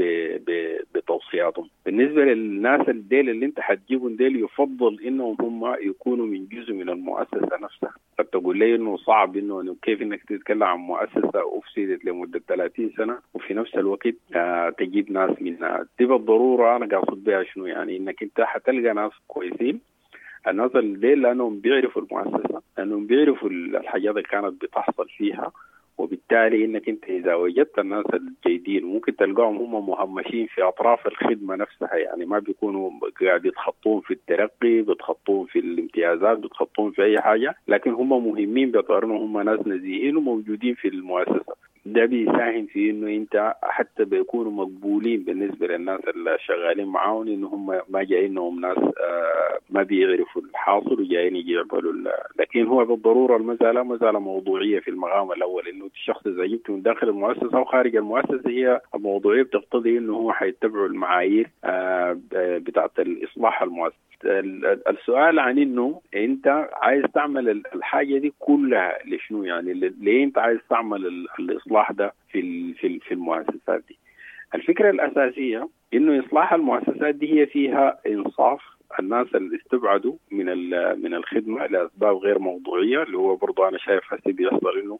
بتوصياتهم. بالنسبة للناس الديل اللي انت حتجيبهم ديل يفضل انهم هم يكونوا من جزء من المؤسسة نفسها. قد تقول لي انه صعب انه كيف انك تتكلم عن مؤسسة افسدت لمدة ثلاثين سنة وفي نفس الوقت آه تجيب ناس منها. دي بالضرورة انا قاصد بها شنو؟ يعني انك انت حتلقى ناس كويسين، الناس الديل لانهم بيعرفوا المؤسسة، لانهم بيعرفوا الحاجات اللي كانت بتحصل فيها، وبالتالي انك انت اذا وجدت الناس الجيدين ممكن تلقاهم هم مهمشين في اطراف الخدمة نفسها، يعني ما بيكونوا قاعد يتخطون في الترقي، بيتخطون في الامتيازات، بيتخطون في اي حاجة، لكن هم مهمين باعتبار انهم هم ناس نزيهين وموجودين في المؤسسة. ده بيساهم في انه انت حتى بيكونوا مقبولين بالنسبة للناس اللي شغالين معاهم، انه هم ما جايينهم ناس ما بيعرفوا الحاصل وجايين يجي يعملوا. لكن هو بالضرورة المسالة مسالة موضوعية في المقام الاول، انه الشخص اذا جبته من داخل المؤسسة او خارج المؤسسة هي الموضوعية بتقتضي انه هو حيتبعوا المعايير بتاعه الاصلاح المؤسسي. السؤال عن انه انت عايز تعمل الحاجة دي كلها لشنو؟ يعني ليه انت عايز تعمل الاصلاح ده في في في المؤسسات دي؟ الفكرة الاساسية انه اصلاح المؤسسات دي هي فيها انصاف الناس اللي استبعدوا من من الخدمة لاسباب غير موضوعية، اللي هو برضه انا شايف هسه بيحصل انه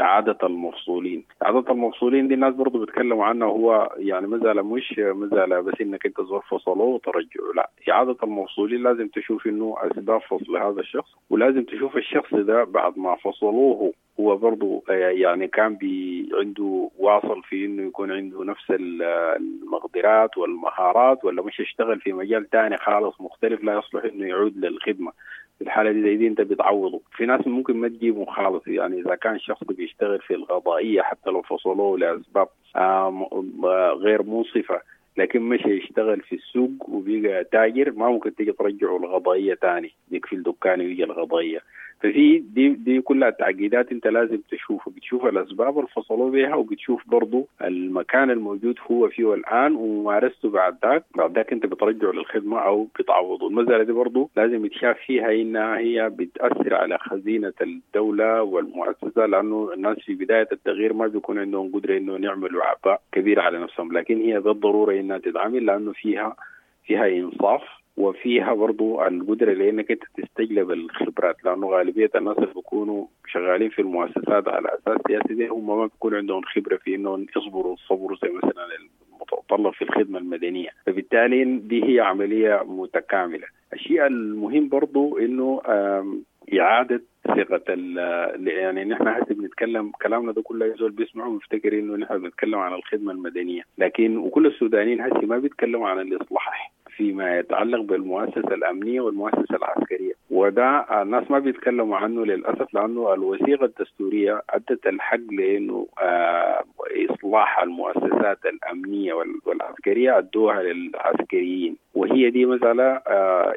اعاده المفصولين، اعاده المفصولين دي الناس برضه بيتكلموا عنها، هو يعني مسالة مش مسالة بس انك انت زول فصلوه وترجعه، لا، اعاده المفصولين لازم تشوف انه اسباب فصل هذا الشخص، ولازم تشوف الشخص ده بعد ما فصلوه هو برضه يعني كان بي عنده واصل في انه يكون عنده نفس المقدرات والمهارات، ولا مش يشتغل في مجال تاني خالص مختلف لا يصلح انه يعود للخدمة. في الحالة دي زي دي انت بتعوضه. في ناس ممكن ما تجيبهم خالص، يعني اذا كان شخص بيشتغل في القضائية حتى لو فصلوه لاسباب غير منصفة، لكن مش يشتغل في السوق وبيجي تاجر، ما ممكن تيجي ترجعه القضائية تاني، يقفل دكانه ويجي القضائية. ففي دي دي كلها تعقيدات انت لازم تشوفها، بتشوف الاسباب اللي فصلوا بها، وبتشوف برضو المكان الموجود هو فيه الان وممارسته بعد ذاك، بعد ذاك انت بترجعه للخدمة او بتعوضه. المسالة دي برضو لازم يتشاف فيها انها هي بتاثر على خزينة الدولة والمؤسسة، لانه الناس في بداية التغيير ما بيكون عندهم قدره انه يعملوا عباء كبير على نفسهم، لكن هي بالضرورة انها تتعامل لانه فيها فيها انصاف وفيها برضو القدرة لأنك أنت تستجلب الخبرات، لأنه غالبية الناس اللي بيكونوا شغالين في المؤسسات على أساس سياسي دي هم ما بيكون عندهم خبرة في إنهم يصبروا الصبر زي مثلا المتطلب في الخدمة المدنية، فبالتالي دي هي عملية متكاملة. الشيء المهم برضو إنه إعادة ثقة ال يعني نحن هسه بنتكلم كلامنا ده كله زول بيسمعه ويفتكر إنه نحن بنتكلم عن الخدمة المدنية، لكن وكل السودانيين هسه ما بيتكلموا عن الإصلاح فيما يتعلق بالمؤسسة الأمنية والمؤسسة العسكرية، وده الناس ما بيتكلموا عنه للأسف، لأنه الوثيقة الدستورية أدت الحق لأنه إصلاح المؤسسات الأمنية والعسكرية أدوها للعسكريين، وهي دي مسألة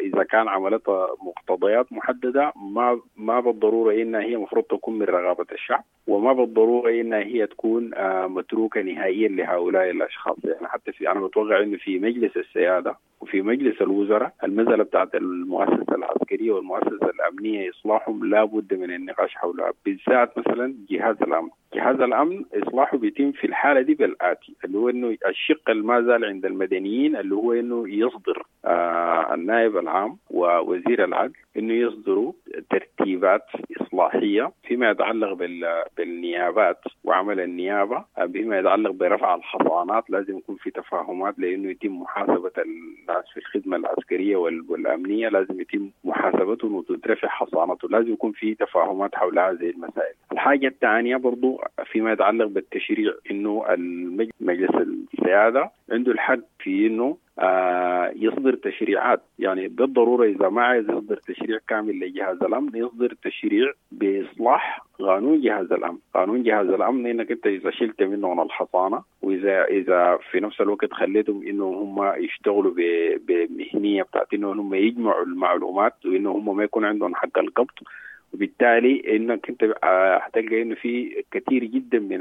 إذا كان عملتها مقتضيات محددة ما ما بالضرورة إنها هي مفروض تكون من رغبة الشعب، وما بالضرورة إنها هي تكون متروكة نهائيا لهؤلاء الأشخاص. يعني حتى في أنا بتوقع إنه في مجلس السيادة وفي مجلس الوزراء المسألة بتاعت المؤسسة العسكرية والمؤسسة الأمنية إصلاحهم لا بد من النقاش حولها، بالذات مثلا جهاز الأمن. جهاز الأمن إصلاحه بيتم في الحالة دي بالآتي، اللي هو إنه الشق ما زال عند المدنيين اللي هو إنه يصدر آه النائب العام ووزير العدل إنه يصدروا ترتيبات إصلاحية فيما يتعلق بالنيابات وعمل النيابة، بما يتعلق برفع الحصانات. لازم يكون في تفاهمات لأنه يتم محاسبة الناس في الخدمة العسكرية والأمنية، لازم يتم محاسبتهم وتترفع حصانتهم، لازم يكون في تفاهمات حول هذه المسائل. الحاجة الثانية برضو فيما يتعلق بالتشريع، إنه مجلس السيادة عنده الحق في إنه آه يصدر تشريعات، يعني بالضرورة إذا ما عايز يصدر تشريع كامل لجهاز الأمن يصدر تشريع بإصلاح قانون جهاز الأمن. قانون جهاز الأمن إنك أنت إذا شلت منهم الحصانة، وإذا إذا في نفس الوقت خليتهم إنه هم يشتغلوا بمهنية بتاعت إنه هم يجمعوا المعلومات وإنه هم ما يكون عندهم حق القبض، وبالتالي انك انت هتلقى انه في كثير جدا من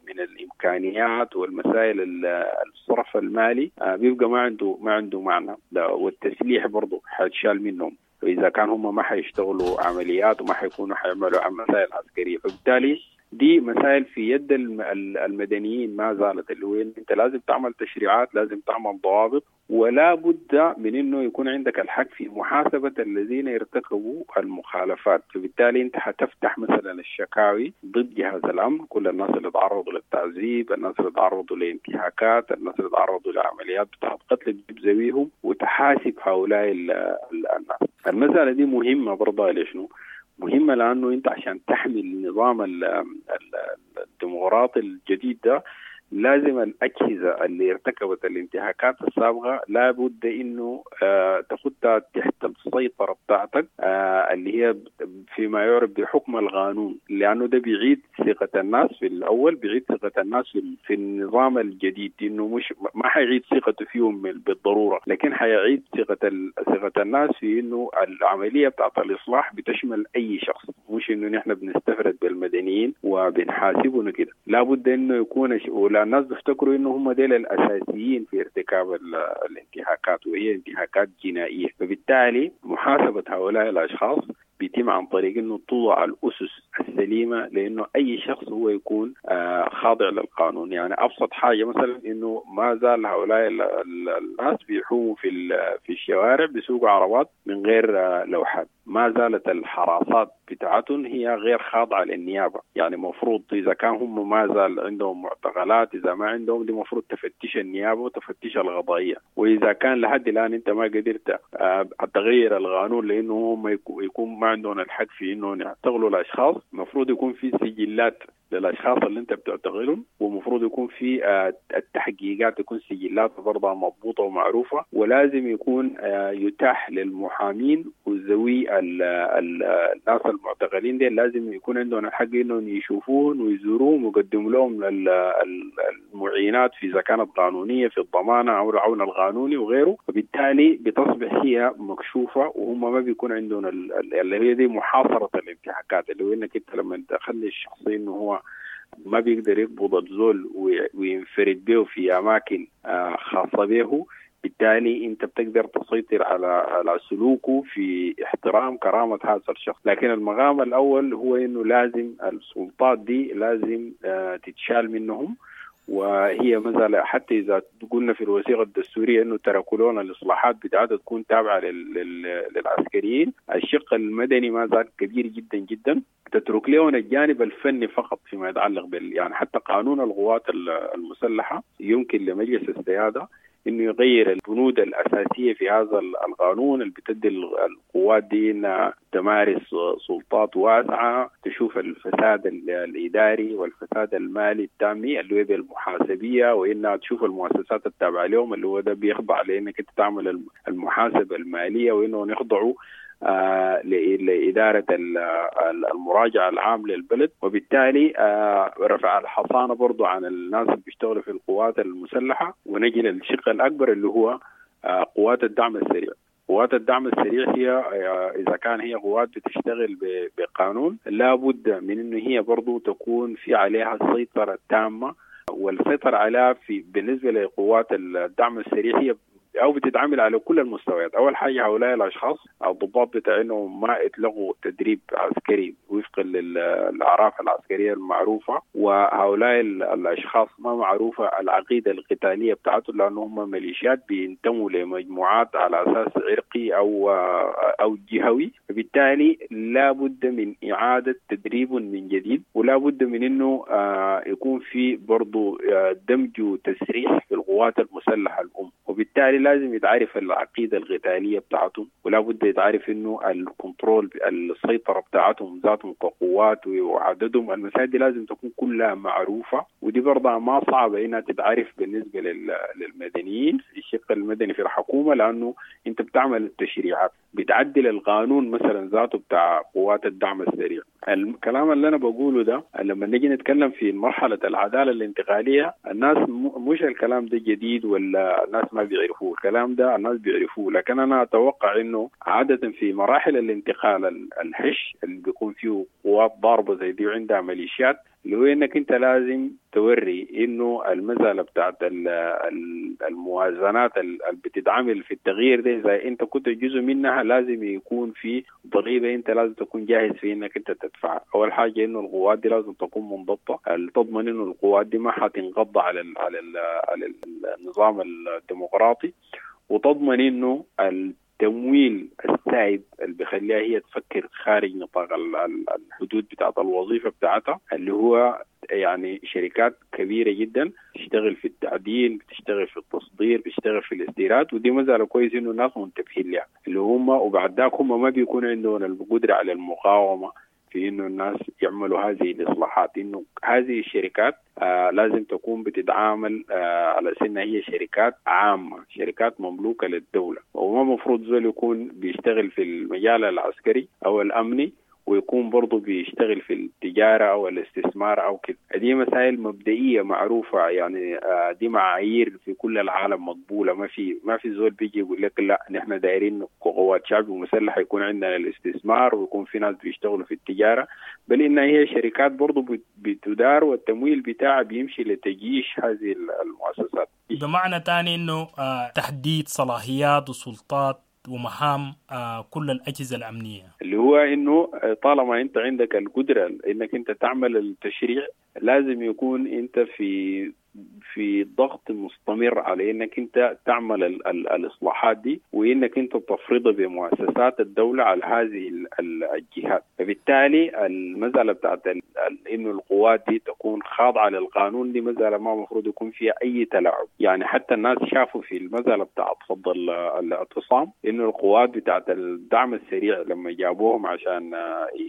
من الامكانيات والمسائل الصرف المالي بيبقى ما عنده ما عنده معنى، والتسليح برضه حيتشال منهم واذا كان هم ما حيشتغلوا عمليات وما حيكونوا حيعملوا مسائل عسكريه. فبالتالي دي مسائل في يد المدنيين ما زالت، اللي هو انت لازم تعمل تشريعات، لازم تعمل ضوابط، ولا بد من انه يكون عندك الحق في محاسبة الذين يرتكبوا المخالفات. فبالتالي انت حتفتح مثلا الشكاوي ضد جهاز الامن، كل الناس اللي تعرضوا للتعذيب، الناس اللي تعرضوا لانتهاكات، الناس اللي تعرضوا لعمليات بتاعت قتل، تجيب زويهم وتحاسب هؤلاء الناس. المسألة دي مهمة برضه. ليشنو مهمة؟ لأنه أنت عشان تحمي النظام الديمقراطي الجديد ده لازم الأجهزة اللي ارتكبت الانتهاكات السابقة لابد إنه آه تاخدها تحت السيطرة بتاعتك، آه اللي هي فيما يعرف بحكم القانون، لأنه ده بيعيد ثقة الناس في الأول، بيعيد ثقة الناس في النظام الجديد، إنه مش ما حيعيد ثقته فيهم بالضرورة، لكن حيعيد ثقة ثقة الناس في إنه العملية بتاعت الإصلاح بتشمل أي شخص، مش إنه نحن بنستفرد بالمدنيين وبنحاسبهم كده. لابد إنه يكون ولا الناس بيفتكروا انه هم ديل الاساسيين في ارتكاب الانتهاكات، وهي انتهاكات جنائيه. فبالتالي محاسبه هؤلاء الاشخاص بيتم عن طريق انه توضع الاسس السليمه لانه اي شخص هو يكون آه خاضع للقانون. يعني ابسط حاجه مثلا انه ما زال هؤلاء الناس بيحوموا في في الشوارع بيسوقوا عربات من غير آه لوحات، ما زالت الحراسات بتاعتهم هي غير خاضعه للنيابه. يعني مفروض اذا كان هم ما زال عندهم معتقلات، اذا ما عندهم دي مفروض تفتش النيابه وتفتش القضائيه، واذا كان لحد الان انت ما قدرت آه تغير القانون لانه هم يكون ما عندهم الحق في انه يعتقلوا الاشخاص، المفروض يكون في سجلات للاشخاص اللي انت بتعتقلهم، ومفروض يكون في التحقيقات تكون سجلات برضه مضبوطه ومعروفه، ولازم يكون يتاح للمحامين وذوي الناس المعتقلين دي لازم يكون عندهم الحق انهم يشوفوهم ويزوروهم ويقدموا لهم المعينات في اذا كانت قانونيه في الضمانه او العون القانوني وغيره. وبالتالي بتصبح هي مكشوفه وهم ما بيكون عندهم اللي هي دي محاصره الانتهاكات، اللي هو انك انت لما تخلي الشخص انه هو ما بيقدر يقبض الزول وينفرد به في أماكن خاصة به، بالتالي أنت بتقدر تسيطر على على سلوكه في احترام كرامة هذا الشخص. لكن المقام الأول هو إنه لازم السلطات دي لازم تتشال منهم، وهي مثلا حتى إذا قلنا في الوثيقة الدستورية إنه تركوا لنا الإصلاحات بتاعتها تكون تابعة للعسكريين، الشق المدني ما زال كبير جدا جدا، تترك لهم الجانب الفني فقط فيما يتعلق بال يعني حتى قانون القوات المسلحة يمكن لمجلس السيادة إنه يغير البنود الأساسية في هذا القانون اللي بتدي القوات دي إنها تمارس سلطات واسعة، تشوف الفساد الإداري والفساد المالي التامي اللي هو بالمحاسبية، وإنها تشوف المؤسسات التابعة لهم اللي هو ده بيخضع لأنك أنت تعمل المحاسبة المالية، وإنه يخضعوا آه لإدارة المراجعة العام للبلد. وبالتالي آه رفع الحصانة برضو عن الناس اللي بيشتغلوا في القوات المسلحة. ونجي للشق الأكبر اللي هو آه قوات الدعم السريع. قوات الدعم السريع هي إذا كان هي قوات بتشتغل بقانون لا بد من إنه هي برضو تكون في عليها السيطرة التامة، والسيطرة عليها في بالنسبة لقوات الدعم السريع هي أو بتتعامل على كل المستويات. أول حاجة هؤلاء الأشخاص الضباط بتاعينهم ما اتلغوا تدريب عسكري وفقا للأعراف العسكرية المعروفة، وهؤلاء الأشخاص ما معروفة العقيدة القتالية بتاعتهم لأنهم هم ميليشيات بينتموا لمجموعات على أساس عرقي أو أو جهوي. فبالتالي لا بد من إعادة تدريب من جديد، ولا بد من إنه يكون في برضو دمج وتسريح في القوات المسلحة الأم. وبالتالي لازم يتعرف العقيدة القتالية بتاعتهم، ولا بد يتعرف إنه الكنترول السيطرة بتاعتهم ذاتهم كقوات وعددهم. المسائل دي لازم تكون كلها معروفة، ودي برضه ما صعبة إنها تتعرف بالنسبة للمدنيين في الشق المدني في الحكومة، لأنه أنت بتعمل التشريعات بتعدل القانون مثلا ذاته بتاع قوات الدعم السريع. الكلام اللي أنا بقوله ده لما نيجي نتكلم في مرحلة العدالة الانتقالية الناس مش الكلام ده جديد ولا الناس ما بيعرفوه، الكلام ده الناس بيعرفوه، لكن أنا أتوقع إنه عادة في مراحل الانتقال الحش اللي بيكون فيه قوات ضاربة زي دي وعندها ميليشيات، اللي هو إنك أنت لازم توري إنه المسألة بتاعت الموازنات اللي بتتعامل في التغيير ده إذا أنت كنت جزء منها لازم يكون في ضريبة أنت لازم تكون جاهز في إنك أنت تدفعها. أول حاجة إنه القوات دي لازم تكون منضبطة، تضمن إنه القوات دي ما حتنقض على ال على ال على النظام الديمقراطي، وتضمن إنه التمويل السائب اللي بيخليها هي تفكر خارج نطاق الحدود بتاعت الوظيفة بتاعتها، اللي هو يعني شركات كبيرة جدا بتشتغل في التعدين، بتشتغل في التصدير، بتشتغل في الاستيراد، ودي مسألة كويس إنه الناس منتبهين لها اللي هم، وبعد ذاك هم ما بيكون عندهم القدرة على المقاومة في إنه الناس يعملوا هذه الإصلاحات. إنه هذه الشركات آه لازم تكون بتتعامل آه على أنها هي شركات عامة، شركات مملوكة للدولة، وما مفروض زول يكون بيشتغل في المجال العسكري أو الأمني ويكون برضه بيشتغل في التجارة أو الاستثمار أو كده. دي مسائل مبدئية معروفة، يعني دي معايير في كل العالم مقبولة. ما في ما في زول بيجي يقول لك لا نحن دايرين قوات شعب ومسلحة يكون عندنا الاستثمار ويكون في ناس بيشتغلوا في التجارة، بل إنها هي شركات برضه بتدار والتمويل بتاعها بيمشي لتجيش هذه المؤسسات. بمعنى تاني إنه تحديد صلاحيات وسلطات ومهام كل الأجهزة الأمنية، اللي هو إنه طالما أنت عندك القدرة إنك أنت تعمل التشريع لازم يكون أنت في في ضغط مستمر على إنك أنت تعمل ال ال الإصلاحات دي، وإنك أنت تفرضها بمؤسسات الدولة على هذه الجهات. فبالتالي المسألة بتاعت إنه القوات دي تكون خاضعة للقانون دي مسألة ما مفروض يكون فيها أي تلاعب. يعني حتى الناس شافوا في المسألة بتاعت فض الاعتصام إنه القوات بتاعت الدعم السريع لما جابوهم عشان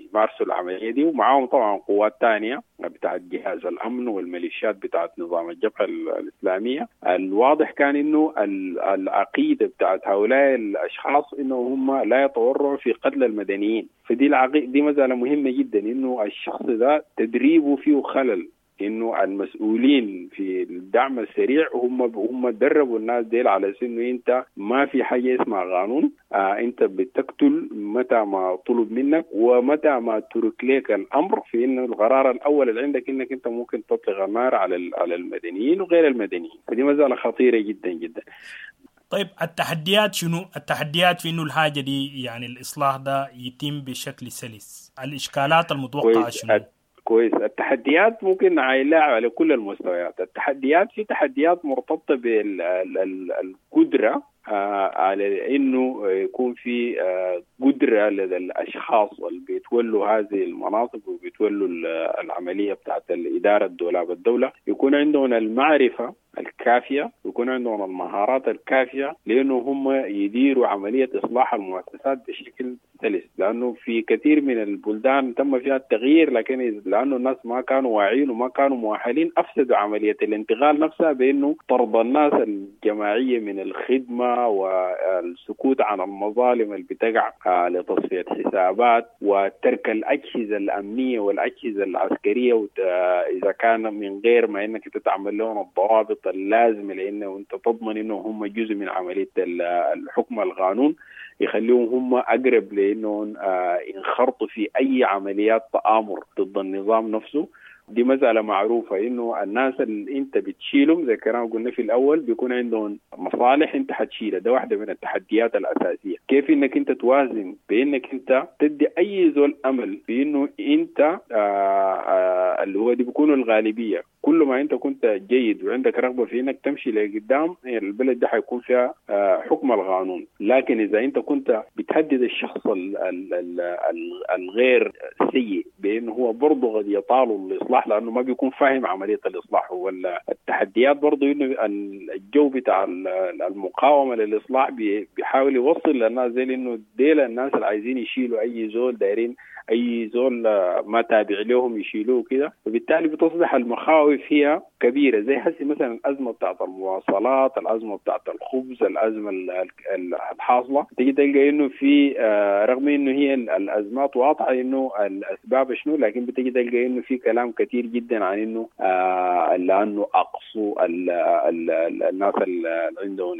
يمارسوا العملية دي، ومعاهم طبعا قوات تانية بتاعت جهاز الأمن والميليشيات بتاعت نظام الجبهة الإسلامية، الواضح كان إنه العقيدة بتاعت هؤلاء الأشخاص إنه هم لا يتورعوا في قتل المدنيين. فدي العقيدة دي مسألة مهمة جدا، إنه الشخص ده تدريبه فيه خلل، إنه المسؤولين في الدعم السريع هم هم دربوا الناس ديل على إنه أنت ما في حاجة اسمها قانون، آه أنت بتقتل متى ما طلب منك ومتى ما ترك لك الأمر، في إنه القرار الأول اللي عندك إنك أنت ممكن تطلق النار على على المدنيين وغير المدنيين. فدي مسألة خطيرة جدا جدا. طيب التحديات شنو؟ التحديات في إنه الحاجة دي يعني الإصلاح ده يتم بشكل سلس، الإشكالات المتوقعة شنو؟ كويس. التحديات ممكن نعيلها على كل المستويات. التحديات في تحديات مرتبطة بالقدرة على إنه يكون في قدرة لدى الأشخاص اللي بيتولوا هذه المناصب وبيتولوا العملية بتاعت الإدارة الدولاب الدولة، يكون عندهم المعرفة الكافية ويكون عندهم المهارات الكافية لأنه هم يديروا عملية إصلاح المؤسسات بشكل سلس. لأنه في كثير من البلدان تم فيها التغيير، لكن لأنه الناس ما كانوا واعيين وما كانوا مؤهلين أفسدوا عملية الانتقال نفسها بأنه طرد الناس الجماعية من الخدمة والسكوت عن المظالم اللي بتقع لتصفية حسابات وترك الأجهزة الأمنية والأجهزة العسكرية إذا كان من غير ما إنك تعمل لهم الضوابط اللازمة لأنه أنت تضمن إنه هم جزء من عملية الحكم القانون، يخليهم هم أقرب لأنهم ينخرطوا في أي عمليات تآمر ضد النظام نفسه. دي مسألة معروفة إنه الناس اللي أنت بتشيلهم زي كلام قلنا في الأول بيكون عندهم مصالح أنت حتشيلها. ده واحدة من التحديات الأساسية، كيف إنك أنت توازن بإنك أنت تدي أي زول أمل في إنه أنت آآ آآ اللي هو دي بيكونوا الغالبية. كل ما أنت كنت جيد وعندك رغبة في إنك تمشي لقدام البلد ده حيكون فيها حكم القانون. لكن إذا أنت كنت بتهدد الشخص ال ال ال الغير سيء بإنه هو برضه قد يطاله الإصلاح لأنه ما بيكون فاهم عملية الإصلاح ولا التحديات، برضه إنه الجو بتاع المقاومة للإصلاح بيحاول يوصل للناس زي إنه ديل الناس اللي عايزين يشيلوا أي زول، دايرين أي زول ما تابع لهم يشيلوه كده. فبالتالي بتصبح المخاوف هي كبيرة، زي حسي مثلا الأزمة بتاعت المواصلات، الأزمة بتاعت الخبز، الأزمة الحاصلة. تيجي تلقى إنه في رغم إنه هي الأزمات واضحة إنه الأسباب شنو، لكن بتيجي تلقى إنه في كلام كثير جدا عن إنه لأنه أقصوا الناس اللي عندهم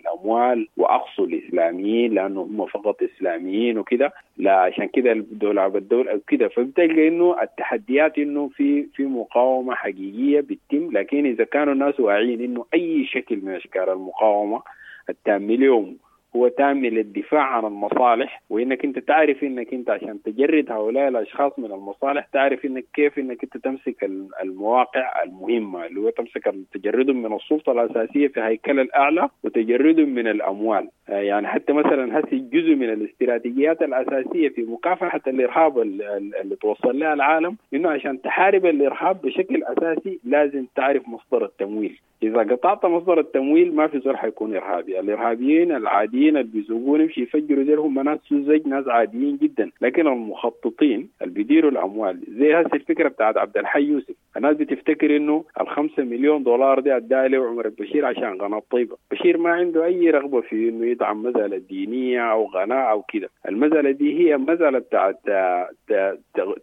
الأموال وأقصوا الإسلاميين لأنه هم فقط إسلاميين وكده، لا عشان كده الدولة بالدولة كده. فبتلقى إنه التحديات إنه في في مقاومة حقيقية بتتم، لكن إذا كانوا الناس واعيين إنه أي شكل من أشكال المقاومة التام اليوم هو تام للدفاع عن المصالح، وإنك أنت تعرف إنك أنت عشان تجرد هؤلاء الأشخاص من المصالح تعرف إنك كيف إنك أنت تمسك المواقع المهمة اللي هو تمسك تجردهم من السلطة الأساسية في هيكل الأعلى وتجردهم من الأموال. يعني حتى مثلا هسي جزء من الاستراتيجيات الأساسية في مكافحة الإرهاب اللي توصل لها العالم إنه عشان تحارب الإرهاب بشكل أساسي لازم تعرف مصدر التمويل. إذا قطعت مصدر التمويل ما في زول حيكون إرهابي. الإرهابيين العاديين اللي بيزوقون يمشي يفجروا زي هم ناس سذج، ناس عاديين جدا، لكن المخططين اللي بيديروا الأموال زي هسه الفكرة بتاعت عبد الحي يوسف، الناس بتفتكر إنه الخمسة مليون دولار دي أداها له عمر البشير عشان قناة طيبة. بشير ما عنده أي رغبة في إنه يدعم مسألة دينية أو قناة أو كده. المسألة دي هي مسألة بتاعت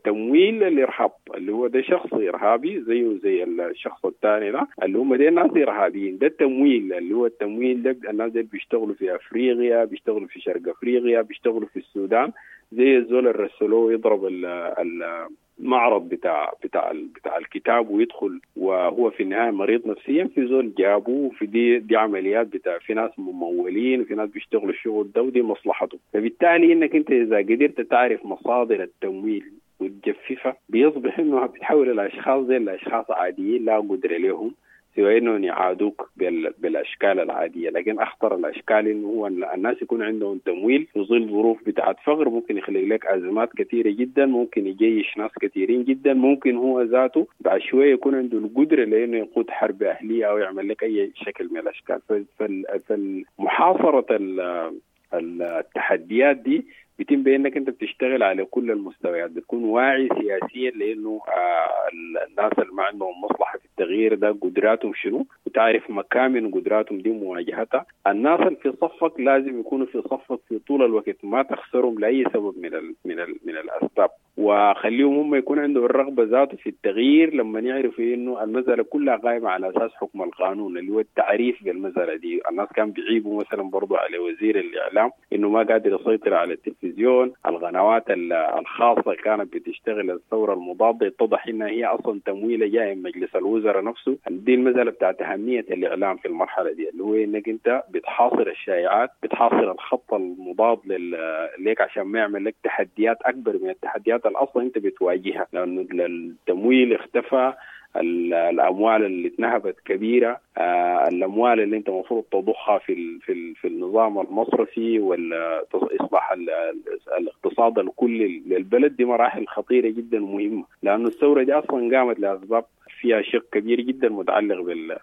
تمويل الإرهاب، اللي هو ده شخص إرهابي زيه زي الشخص الثاني ده اللي هم دي ناس إرهابيين. ده التمويل اللي هو التمويل ده الناس دي بيشتغلوا في أفريقيا، بيشتغلوا في شرق أفريقيا، بيشتغلوا في السودان، زي الزول اللي رسلوه يضرب المعرض بتاع بتاع بتاع الكتاب ويدخل وهو في النهاية مريض نفسيا، في زول جابوه في دي دي عمليات بتاع في ناس ممولين وفي ناس بيشتغلوا الشغل ده ودي مصلحته. فبالتالي انك انت اذا قدرت تعرف مصادر التمويل وتجففها بيصبح انه بتحول الاشخاص زي الاشخاص عاديين لا قدره لهم سوى انهم يعادوك بالاشكال العاديه. لكن اخطر الاشكال انه هو الناس يكون عندهم تمويل في ظل ظروف بتاعت فقر، ممكن يخلق لك ازمات كثيره جدا، ممكن يجيش ناس كثيرين جدا، ممكن هو ذاته بعد شويه يكون عنده القدره لانه يقود حرب اهليه او يعمل لك اي شكل من الاشكال. فالمحاصره التحديات دي بيتم بانك انت بتشتغل على كل المستويات، بتكون واعي سياسيا لانه الناس اللي ما عندهم مصلحه في التغيير ده قدراتهم شنو، وتعرف مكامن قدراتهم دي مواجهتها. الناس اللي في صفك لازم يكونوا في صفك في طول الوقت، ما تخسرهم لاي سبب من ال من ال من الاسباب، وخليهم هم يكون عندهم الرغبه ذاته في التغيير لما يعرفوا انه المساله كلها قائمه على اساس حكم القانون اللي هو التعريف بالمساله دي. الناس كان بيعيبوا مثلا برضو على وزير الاعلام انه ما قادر يسيطر على التلفزيون، القنوات الخاصه كانت بتشتغل الثوره المضاده، اتضح انها هي اصلا تمويله جايه من مجلس الوزراء نفسه. دي المساله بتاعت اهميه الاعلام في المرحله دي اللي هو انك انت بتحاصر الشائعات، بتحاصر الخط المضاد لك عشان ما يعمل لك تحديات اكبر من التحديات اصلا انت بتواجهها، لانه التمويل اختفى، الاموال اللي اتنهبت كبيره، الاموال اللي انت المفروض تضخها في في في النظام المصرفي واصلاح الاقتصاد الكلي للبلد، دي مراحل خطيره جدا ومهمه، لانه الثوره دي اصلا قامت لاسباب فيها شق كبير جدا متعلق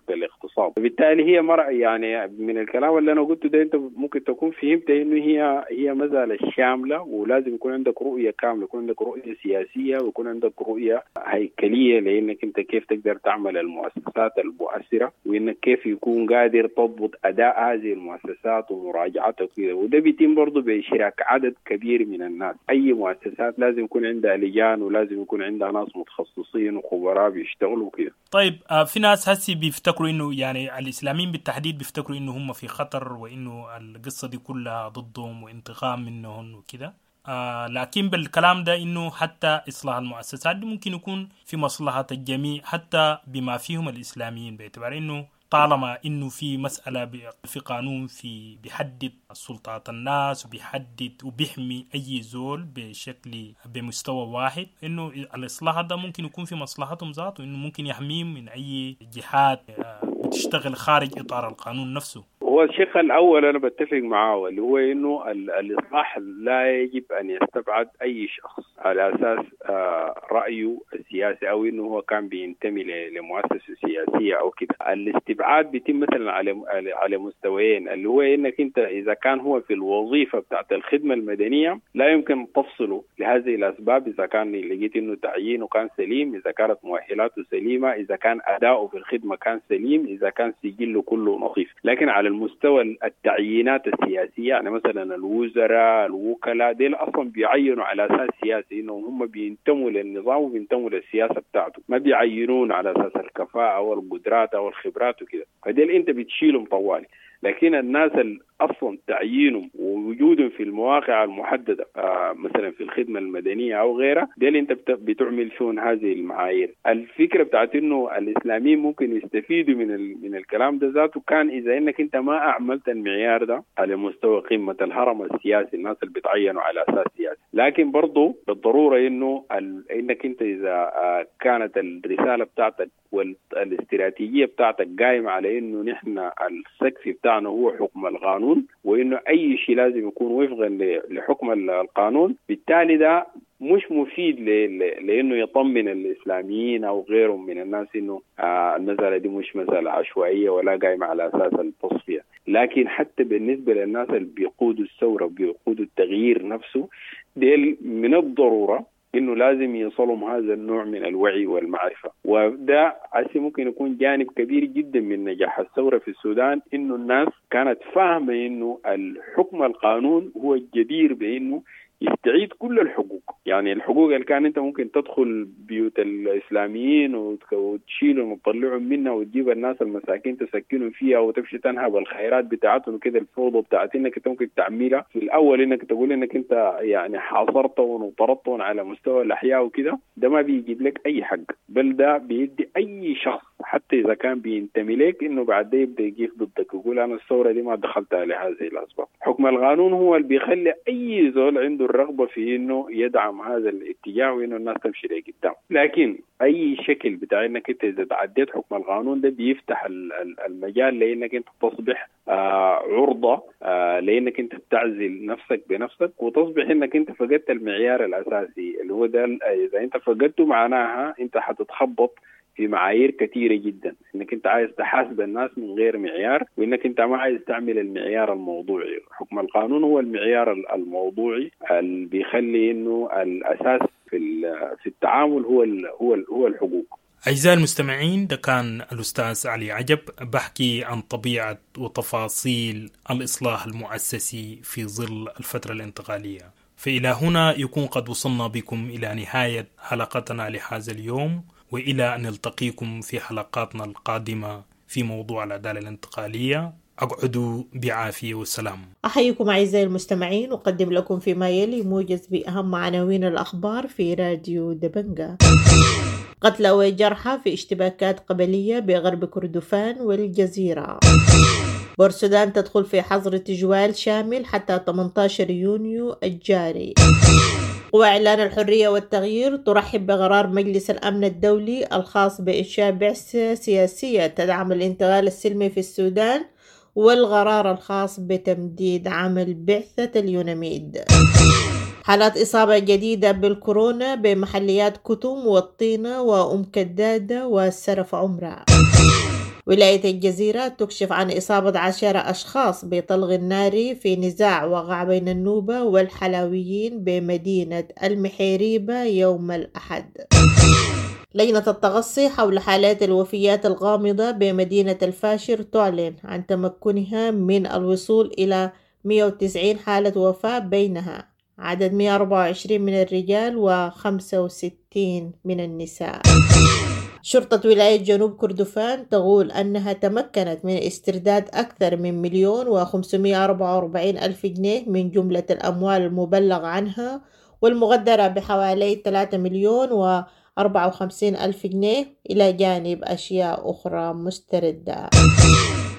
بالاقتصاد. بالتالي هي مرأة يعني من الكلام اللي أنا قلته ده أنت ممكن تكون فهمت إنه هي هي مسألة شاملة، ولازم يكون عندك رؤية كاملة، يكون عندك رؤية سياسية ويكون عندك رؤية هيكلية لأنك أنت كيف تقدر تعمل المؤسسات المؤثرة، وإنك كيف يكون قادر تضبط أداء هذه المؤسسات ومراجعتها وكذا. وده بيتم برضه بإشراك عدد كبير من الناس. أي مؤسسات لازم يكون عندها لجان ولازم يكون عندها ناس متخصصين وخبراء بيشتغلوا كده. طيب في ناس هسي بيفتكروا إنه يعني الإسلاميين بالتحديد بيفتكروا إنه هم في خطر وإنه القصة دي كلها ضدهم وانتقام منهم وكده، آه لكن بالكلام ده إنه حتى إصلاح المؤسسات دي ممكن يكون في مصلحة الجميع حتى بما فيهم الإسلاميين، باعتبار إنه طالما إنه في مسألة في قانون في بيحدد سلطات الناس وبيحدد وبيحمي أي زول بشكل بمستوى واحد، إنه الإصلاح ده ممكن يكون في مصلحتهم ذاته، إنه ممكن يحميهم من أي جهات بتشتغل خارج إطار القانون نفسه. هو الشق الأول أنا بتفق معه، اللي هو إنه الإصلاح لا يجب أن يستبعد أي شخص على أساس رأيه السياسي أو إنه هو كان بينتمي لمؤسسة سياسية أو كده. الاستبعاد بيتم مثلا على على مستويين، اللي هو إنك أنت إذا كان هو في الوظيفة بتاعت الخدمة المدنية لا يمكن تفصله لهذه الأسباب، إذا كان لقيت إنه تعيينه كان سليم، إذا كانت مؤهلاته سليمة، إذا كان أداؤه في الخدمة كان سليم، إذا كان سجله كله نظيف. لكن على المستوى التعيينات السياسية، يعني مثلا الوزراء الوكلاء ديل أصلا بيعينوا على أساس سياسي، إنهم هم بينتموا للنظام وبينتموا للسياسة بتاعته، ما بيعينون على أساس الكفاءة أو القدرات أو الخبرات وكده، فديل أنت بتشيلهم طوالي. لكن الناس اللي أصلا تعيينهم ووجودهم في المواقع المحددة آه مثلا في الخدمة المدنية أو غيرها، دي أنت بتعمل فيهم هذه المعايير. الفكرة بتاعت إنه الإسلاميين ممكن يستفيدوا من من الكلام ده ذاته كان إذا إنك أنت ما أعملت المعيار ده على مستوى قمة الهرم السياسي، الناس اللي بتعينوا على أساس سياسي. لكن برضو بالضرورة إنه إنك أنت إذا آه كانت الرسالة بتاعتك والاستراتيجية بتاعتك قائمة على إنه نحن السقف بتاعنا هو حكم القانون، وإنه أي شيء لازم يكون وفقا لحكم القانون، بالتالي ده مش مفيد لأنه يطمن الإسلاميين أو غيرهم من الناس إنه المسألة دي مش مسألة عشوائية ولا قائمة على أساس التصفية. لكن حتى بالنسبة للناس اللي بيقودوا الثورة وبيقودوا التغيير نفسه، ديل من الضرورة إنه لازم يصلهم هذا النوع من الوعي والمعرفة. وده عسي ممكن يكون جانب كبير جدا من نجاح الثورة في السودان، إنه الناس كانت فاهمة إنه الحكم القانون هو الجدير بإنه يستعيد كل الحقوق. يعني الحقوق اللي كان انت ممكن تدخل بيوت الاسلاميين وتشيلهم وتطلعهم منها وتجيب الناس المساكين تسكنهم فيها وتمشي تنهب الخيرات بتاعتهم وكده، الفوضى بتاعت انك انت ممكن تعملها في الاول انك تقول انك انت يعني حاصرتهم وطردتهم على مستوى الاحياء وكده، ده ما بيجيب لك اي حق، بل ده بيدي اي شخص حتى اذا كان بينتمي لك انه بعد ده يبدا يقف ضدك ويقول انا الثوره دي ما دخلتها لهذه الاسباب. حكم القانون هو اللي بيخلي اي زول عنده الرغبة في إنه يدعم هذا الاتجاه وإنه الناس تمشي لقدام. لكن أي شكل بتاع إنك أنت إذا تعديت حكم القانون ده بيفتح المجال لإنك أنت تصبح آه عرضة آه لإنك أنت بتعزل نفسك بنفسك، وتصبح إنك أنت فقدت المعيار الأساسي اللي هو ده. إذا أنت فقدته معناها أنت حتتخبط في معايير كثيرة جدا، انك انت عايز تحاسب الناس من غير معيار، وانك انت ما عايز تعمل المعيار الموضوعي. حكم القانون هو المعيار الموضوعي اللي بيخلي انه الاساس في في التعامل هو ال هو ال هو الحقوق. أعزائي المستمعين، ده كان الأستاذ علي عجب بحكي عن طبيعة وتفاصيل الإصلاح المؤسسي في ظل الفترة الانتقالية. فإلى هنا يكون قد وصلنا بكم إلى نهاية حلقتنا لهذا اليوم، وإلى أن نلتقيكم في حلقاتنا القادمة في موضوع العدالة الانتقالية. أقعدوا بعافية والسلام. أحييكم أعزائي المستمعين، أقدم لكم فيما يلي موجز بأهم عناوين الأخبار في راديو دبنجا. قتلى وجرحى في اشتباكات قبلية بغرب كردفان والجزيرة. بورسودان تدخل في حظر تجوال شامل حتى ثمانية عشر يونيو الجاري. وإعلان الحرية والتغيير ترحب بقرار مجلس الأمن الدولي الخاص بإنشاء بعثة سياسية تدعم الانتقال السلمي في السودان، والقرار الخاص بتمديد عمل بعثة اليوناميد. حالات إصابة جديدة بالكورونا بمحليات كتم والطينة وأم كدادة والسرف عمرة. ولاية الجزيرة تكشف عن إصابة عشرة أشخاص بطلق النار في نزاع وقع بين النوبة والحلاويين بمدينة المحيريبة يوم الأحد. لجنة التغصي حول حالات الوفيات الغامضة بمدينة الفاشر تعلن عن تمكنها من الوصول إلى مئة وتسعين حالة وفاة، بينها عدد مئة وأربعة وعشرين من الرجال وخمسة وستين من النساء. شرطة ولاية جنوب كردفان تقول أنها تمكنت من استرداد أكثر من مليون وخمسمائة وأربعة وأربعين ألف جنيه من جملة الأموال المبلغ عنها والمقدرة بحوالي ثلاثة مليون وأربعة وخمسين ألف جنيه، إلى جانب أشياء أخرى مستردة.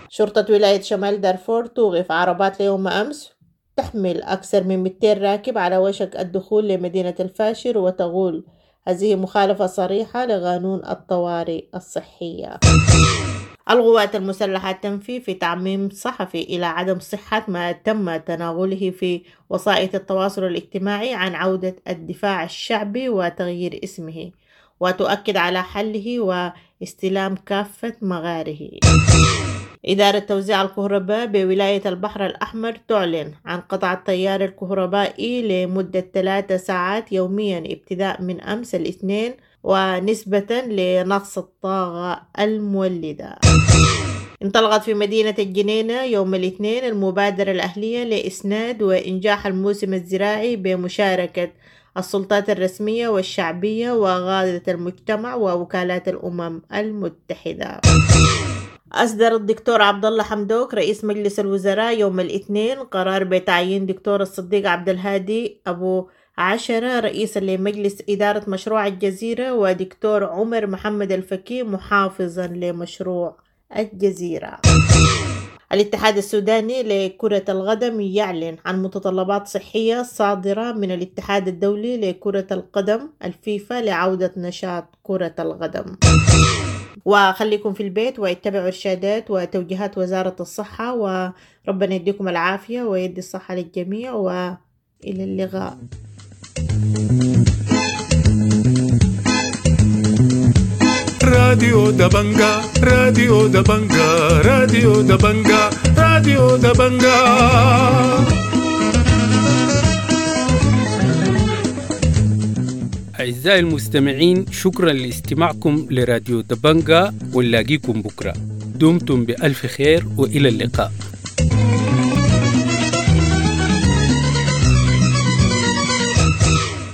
شرطة ولاية شمال دارفور توقف عربات ليوم أمس تحمل أكثر من مئتين راكب على وشك الدخول لمدينة الفاشر، وتقول هذه مخالفة صريحة لقانون الطوارئ الصحية. القوات المسلحة تنفي في تعميم صحفي إلى عدم صحة ما تم تناوله في وسائل التواصل الاجتماعي عن عودة الدفاع الشعبي وتغيير اسمه، وتؤكد على حله واستلام كافة مغاره. إدارة توزيع الكهرباء بولاية البحر الأحمر تعلن عن قطع التيار الكهربائي لمدة ثلاث ساعات يوميا ابتداء من أمس الاثنين، ونسبة لنقص الطاقة المولدة. انطلقت في مدينة الجنينة يوم الاثنين المبادرة الأهلية لإسناد وإنجاح الموسم الزراعي بمشاركة السلطات الرسمية والشعبية وغادة المجتمع ووكالات الأمم المتحدة. أصدر الدكتور عبد الله حمدوك رئيس مجلس الوزراء يوم الاثنين قرار بتعيين دكتور الصديق عبد الهادي أبو عشرة رئيسا لمجلس إدارة مشروع الجزيرة، ودكتور عمر محمد الفكي محافظا لمشروع الجزيرة. الاتحاد السوداني لكرة القدم يعلن عن متطلبات صحية صادرة من الاتحاد الدولي لكرة القدم الفيفا لعودة نشاط كرة القدم. وخليكم في البيت واتبعوا إرشادات وتوجيهات وزارة الصحة، وربنا يديكم العافية ويدي الصحة للجميع، وإلى اللقاء. راديو دبنجا، راديو دبنجا، راديو دبنجا، راديو دبنجا. أعزائي المستمعين، شكرا لاستماعكم لراديو دبنجا، ونلاقيكم بكرة. دمتم بألف خير وإلى اللقاء.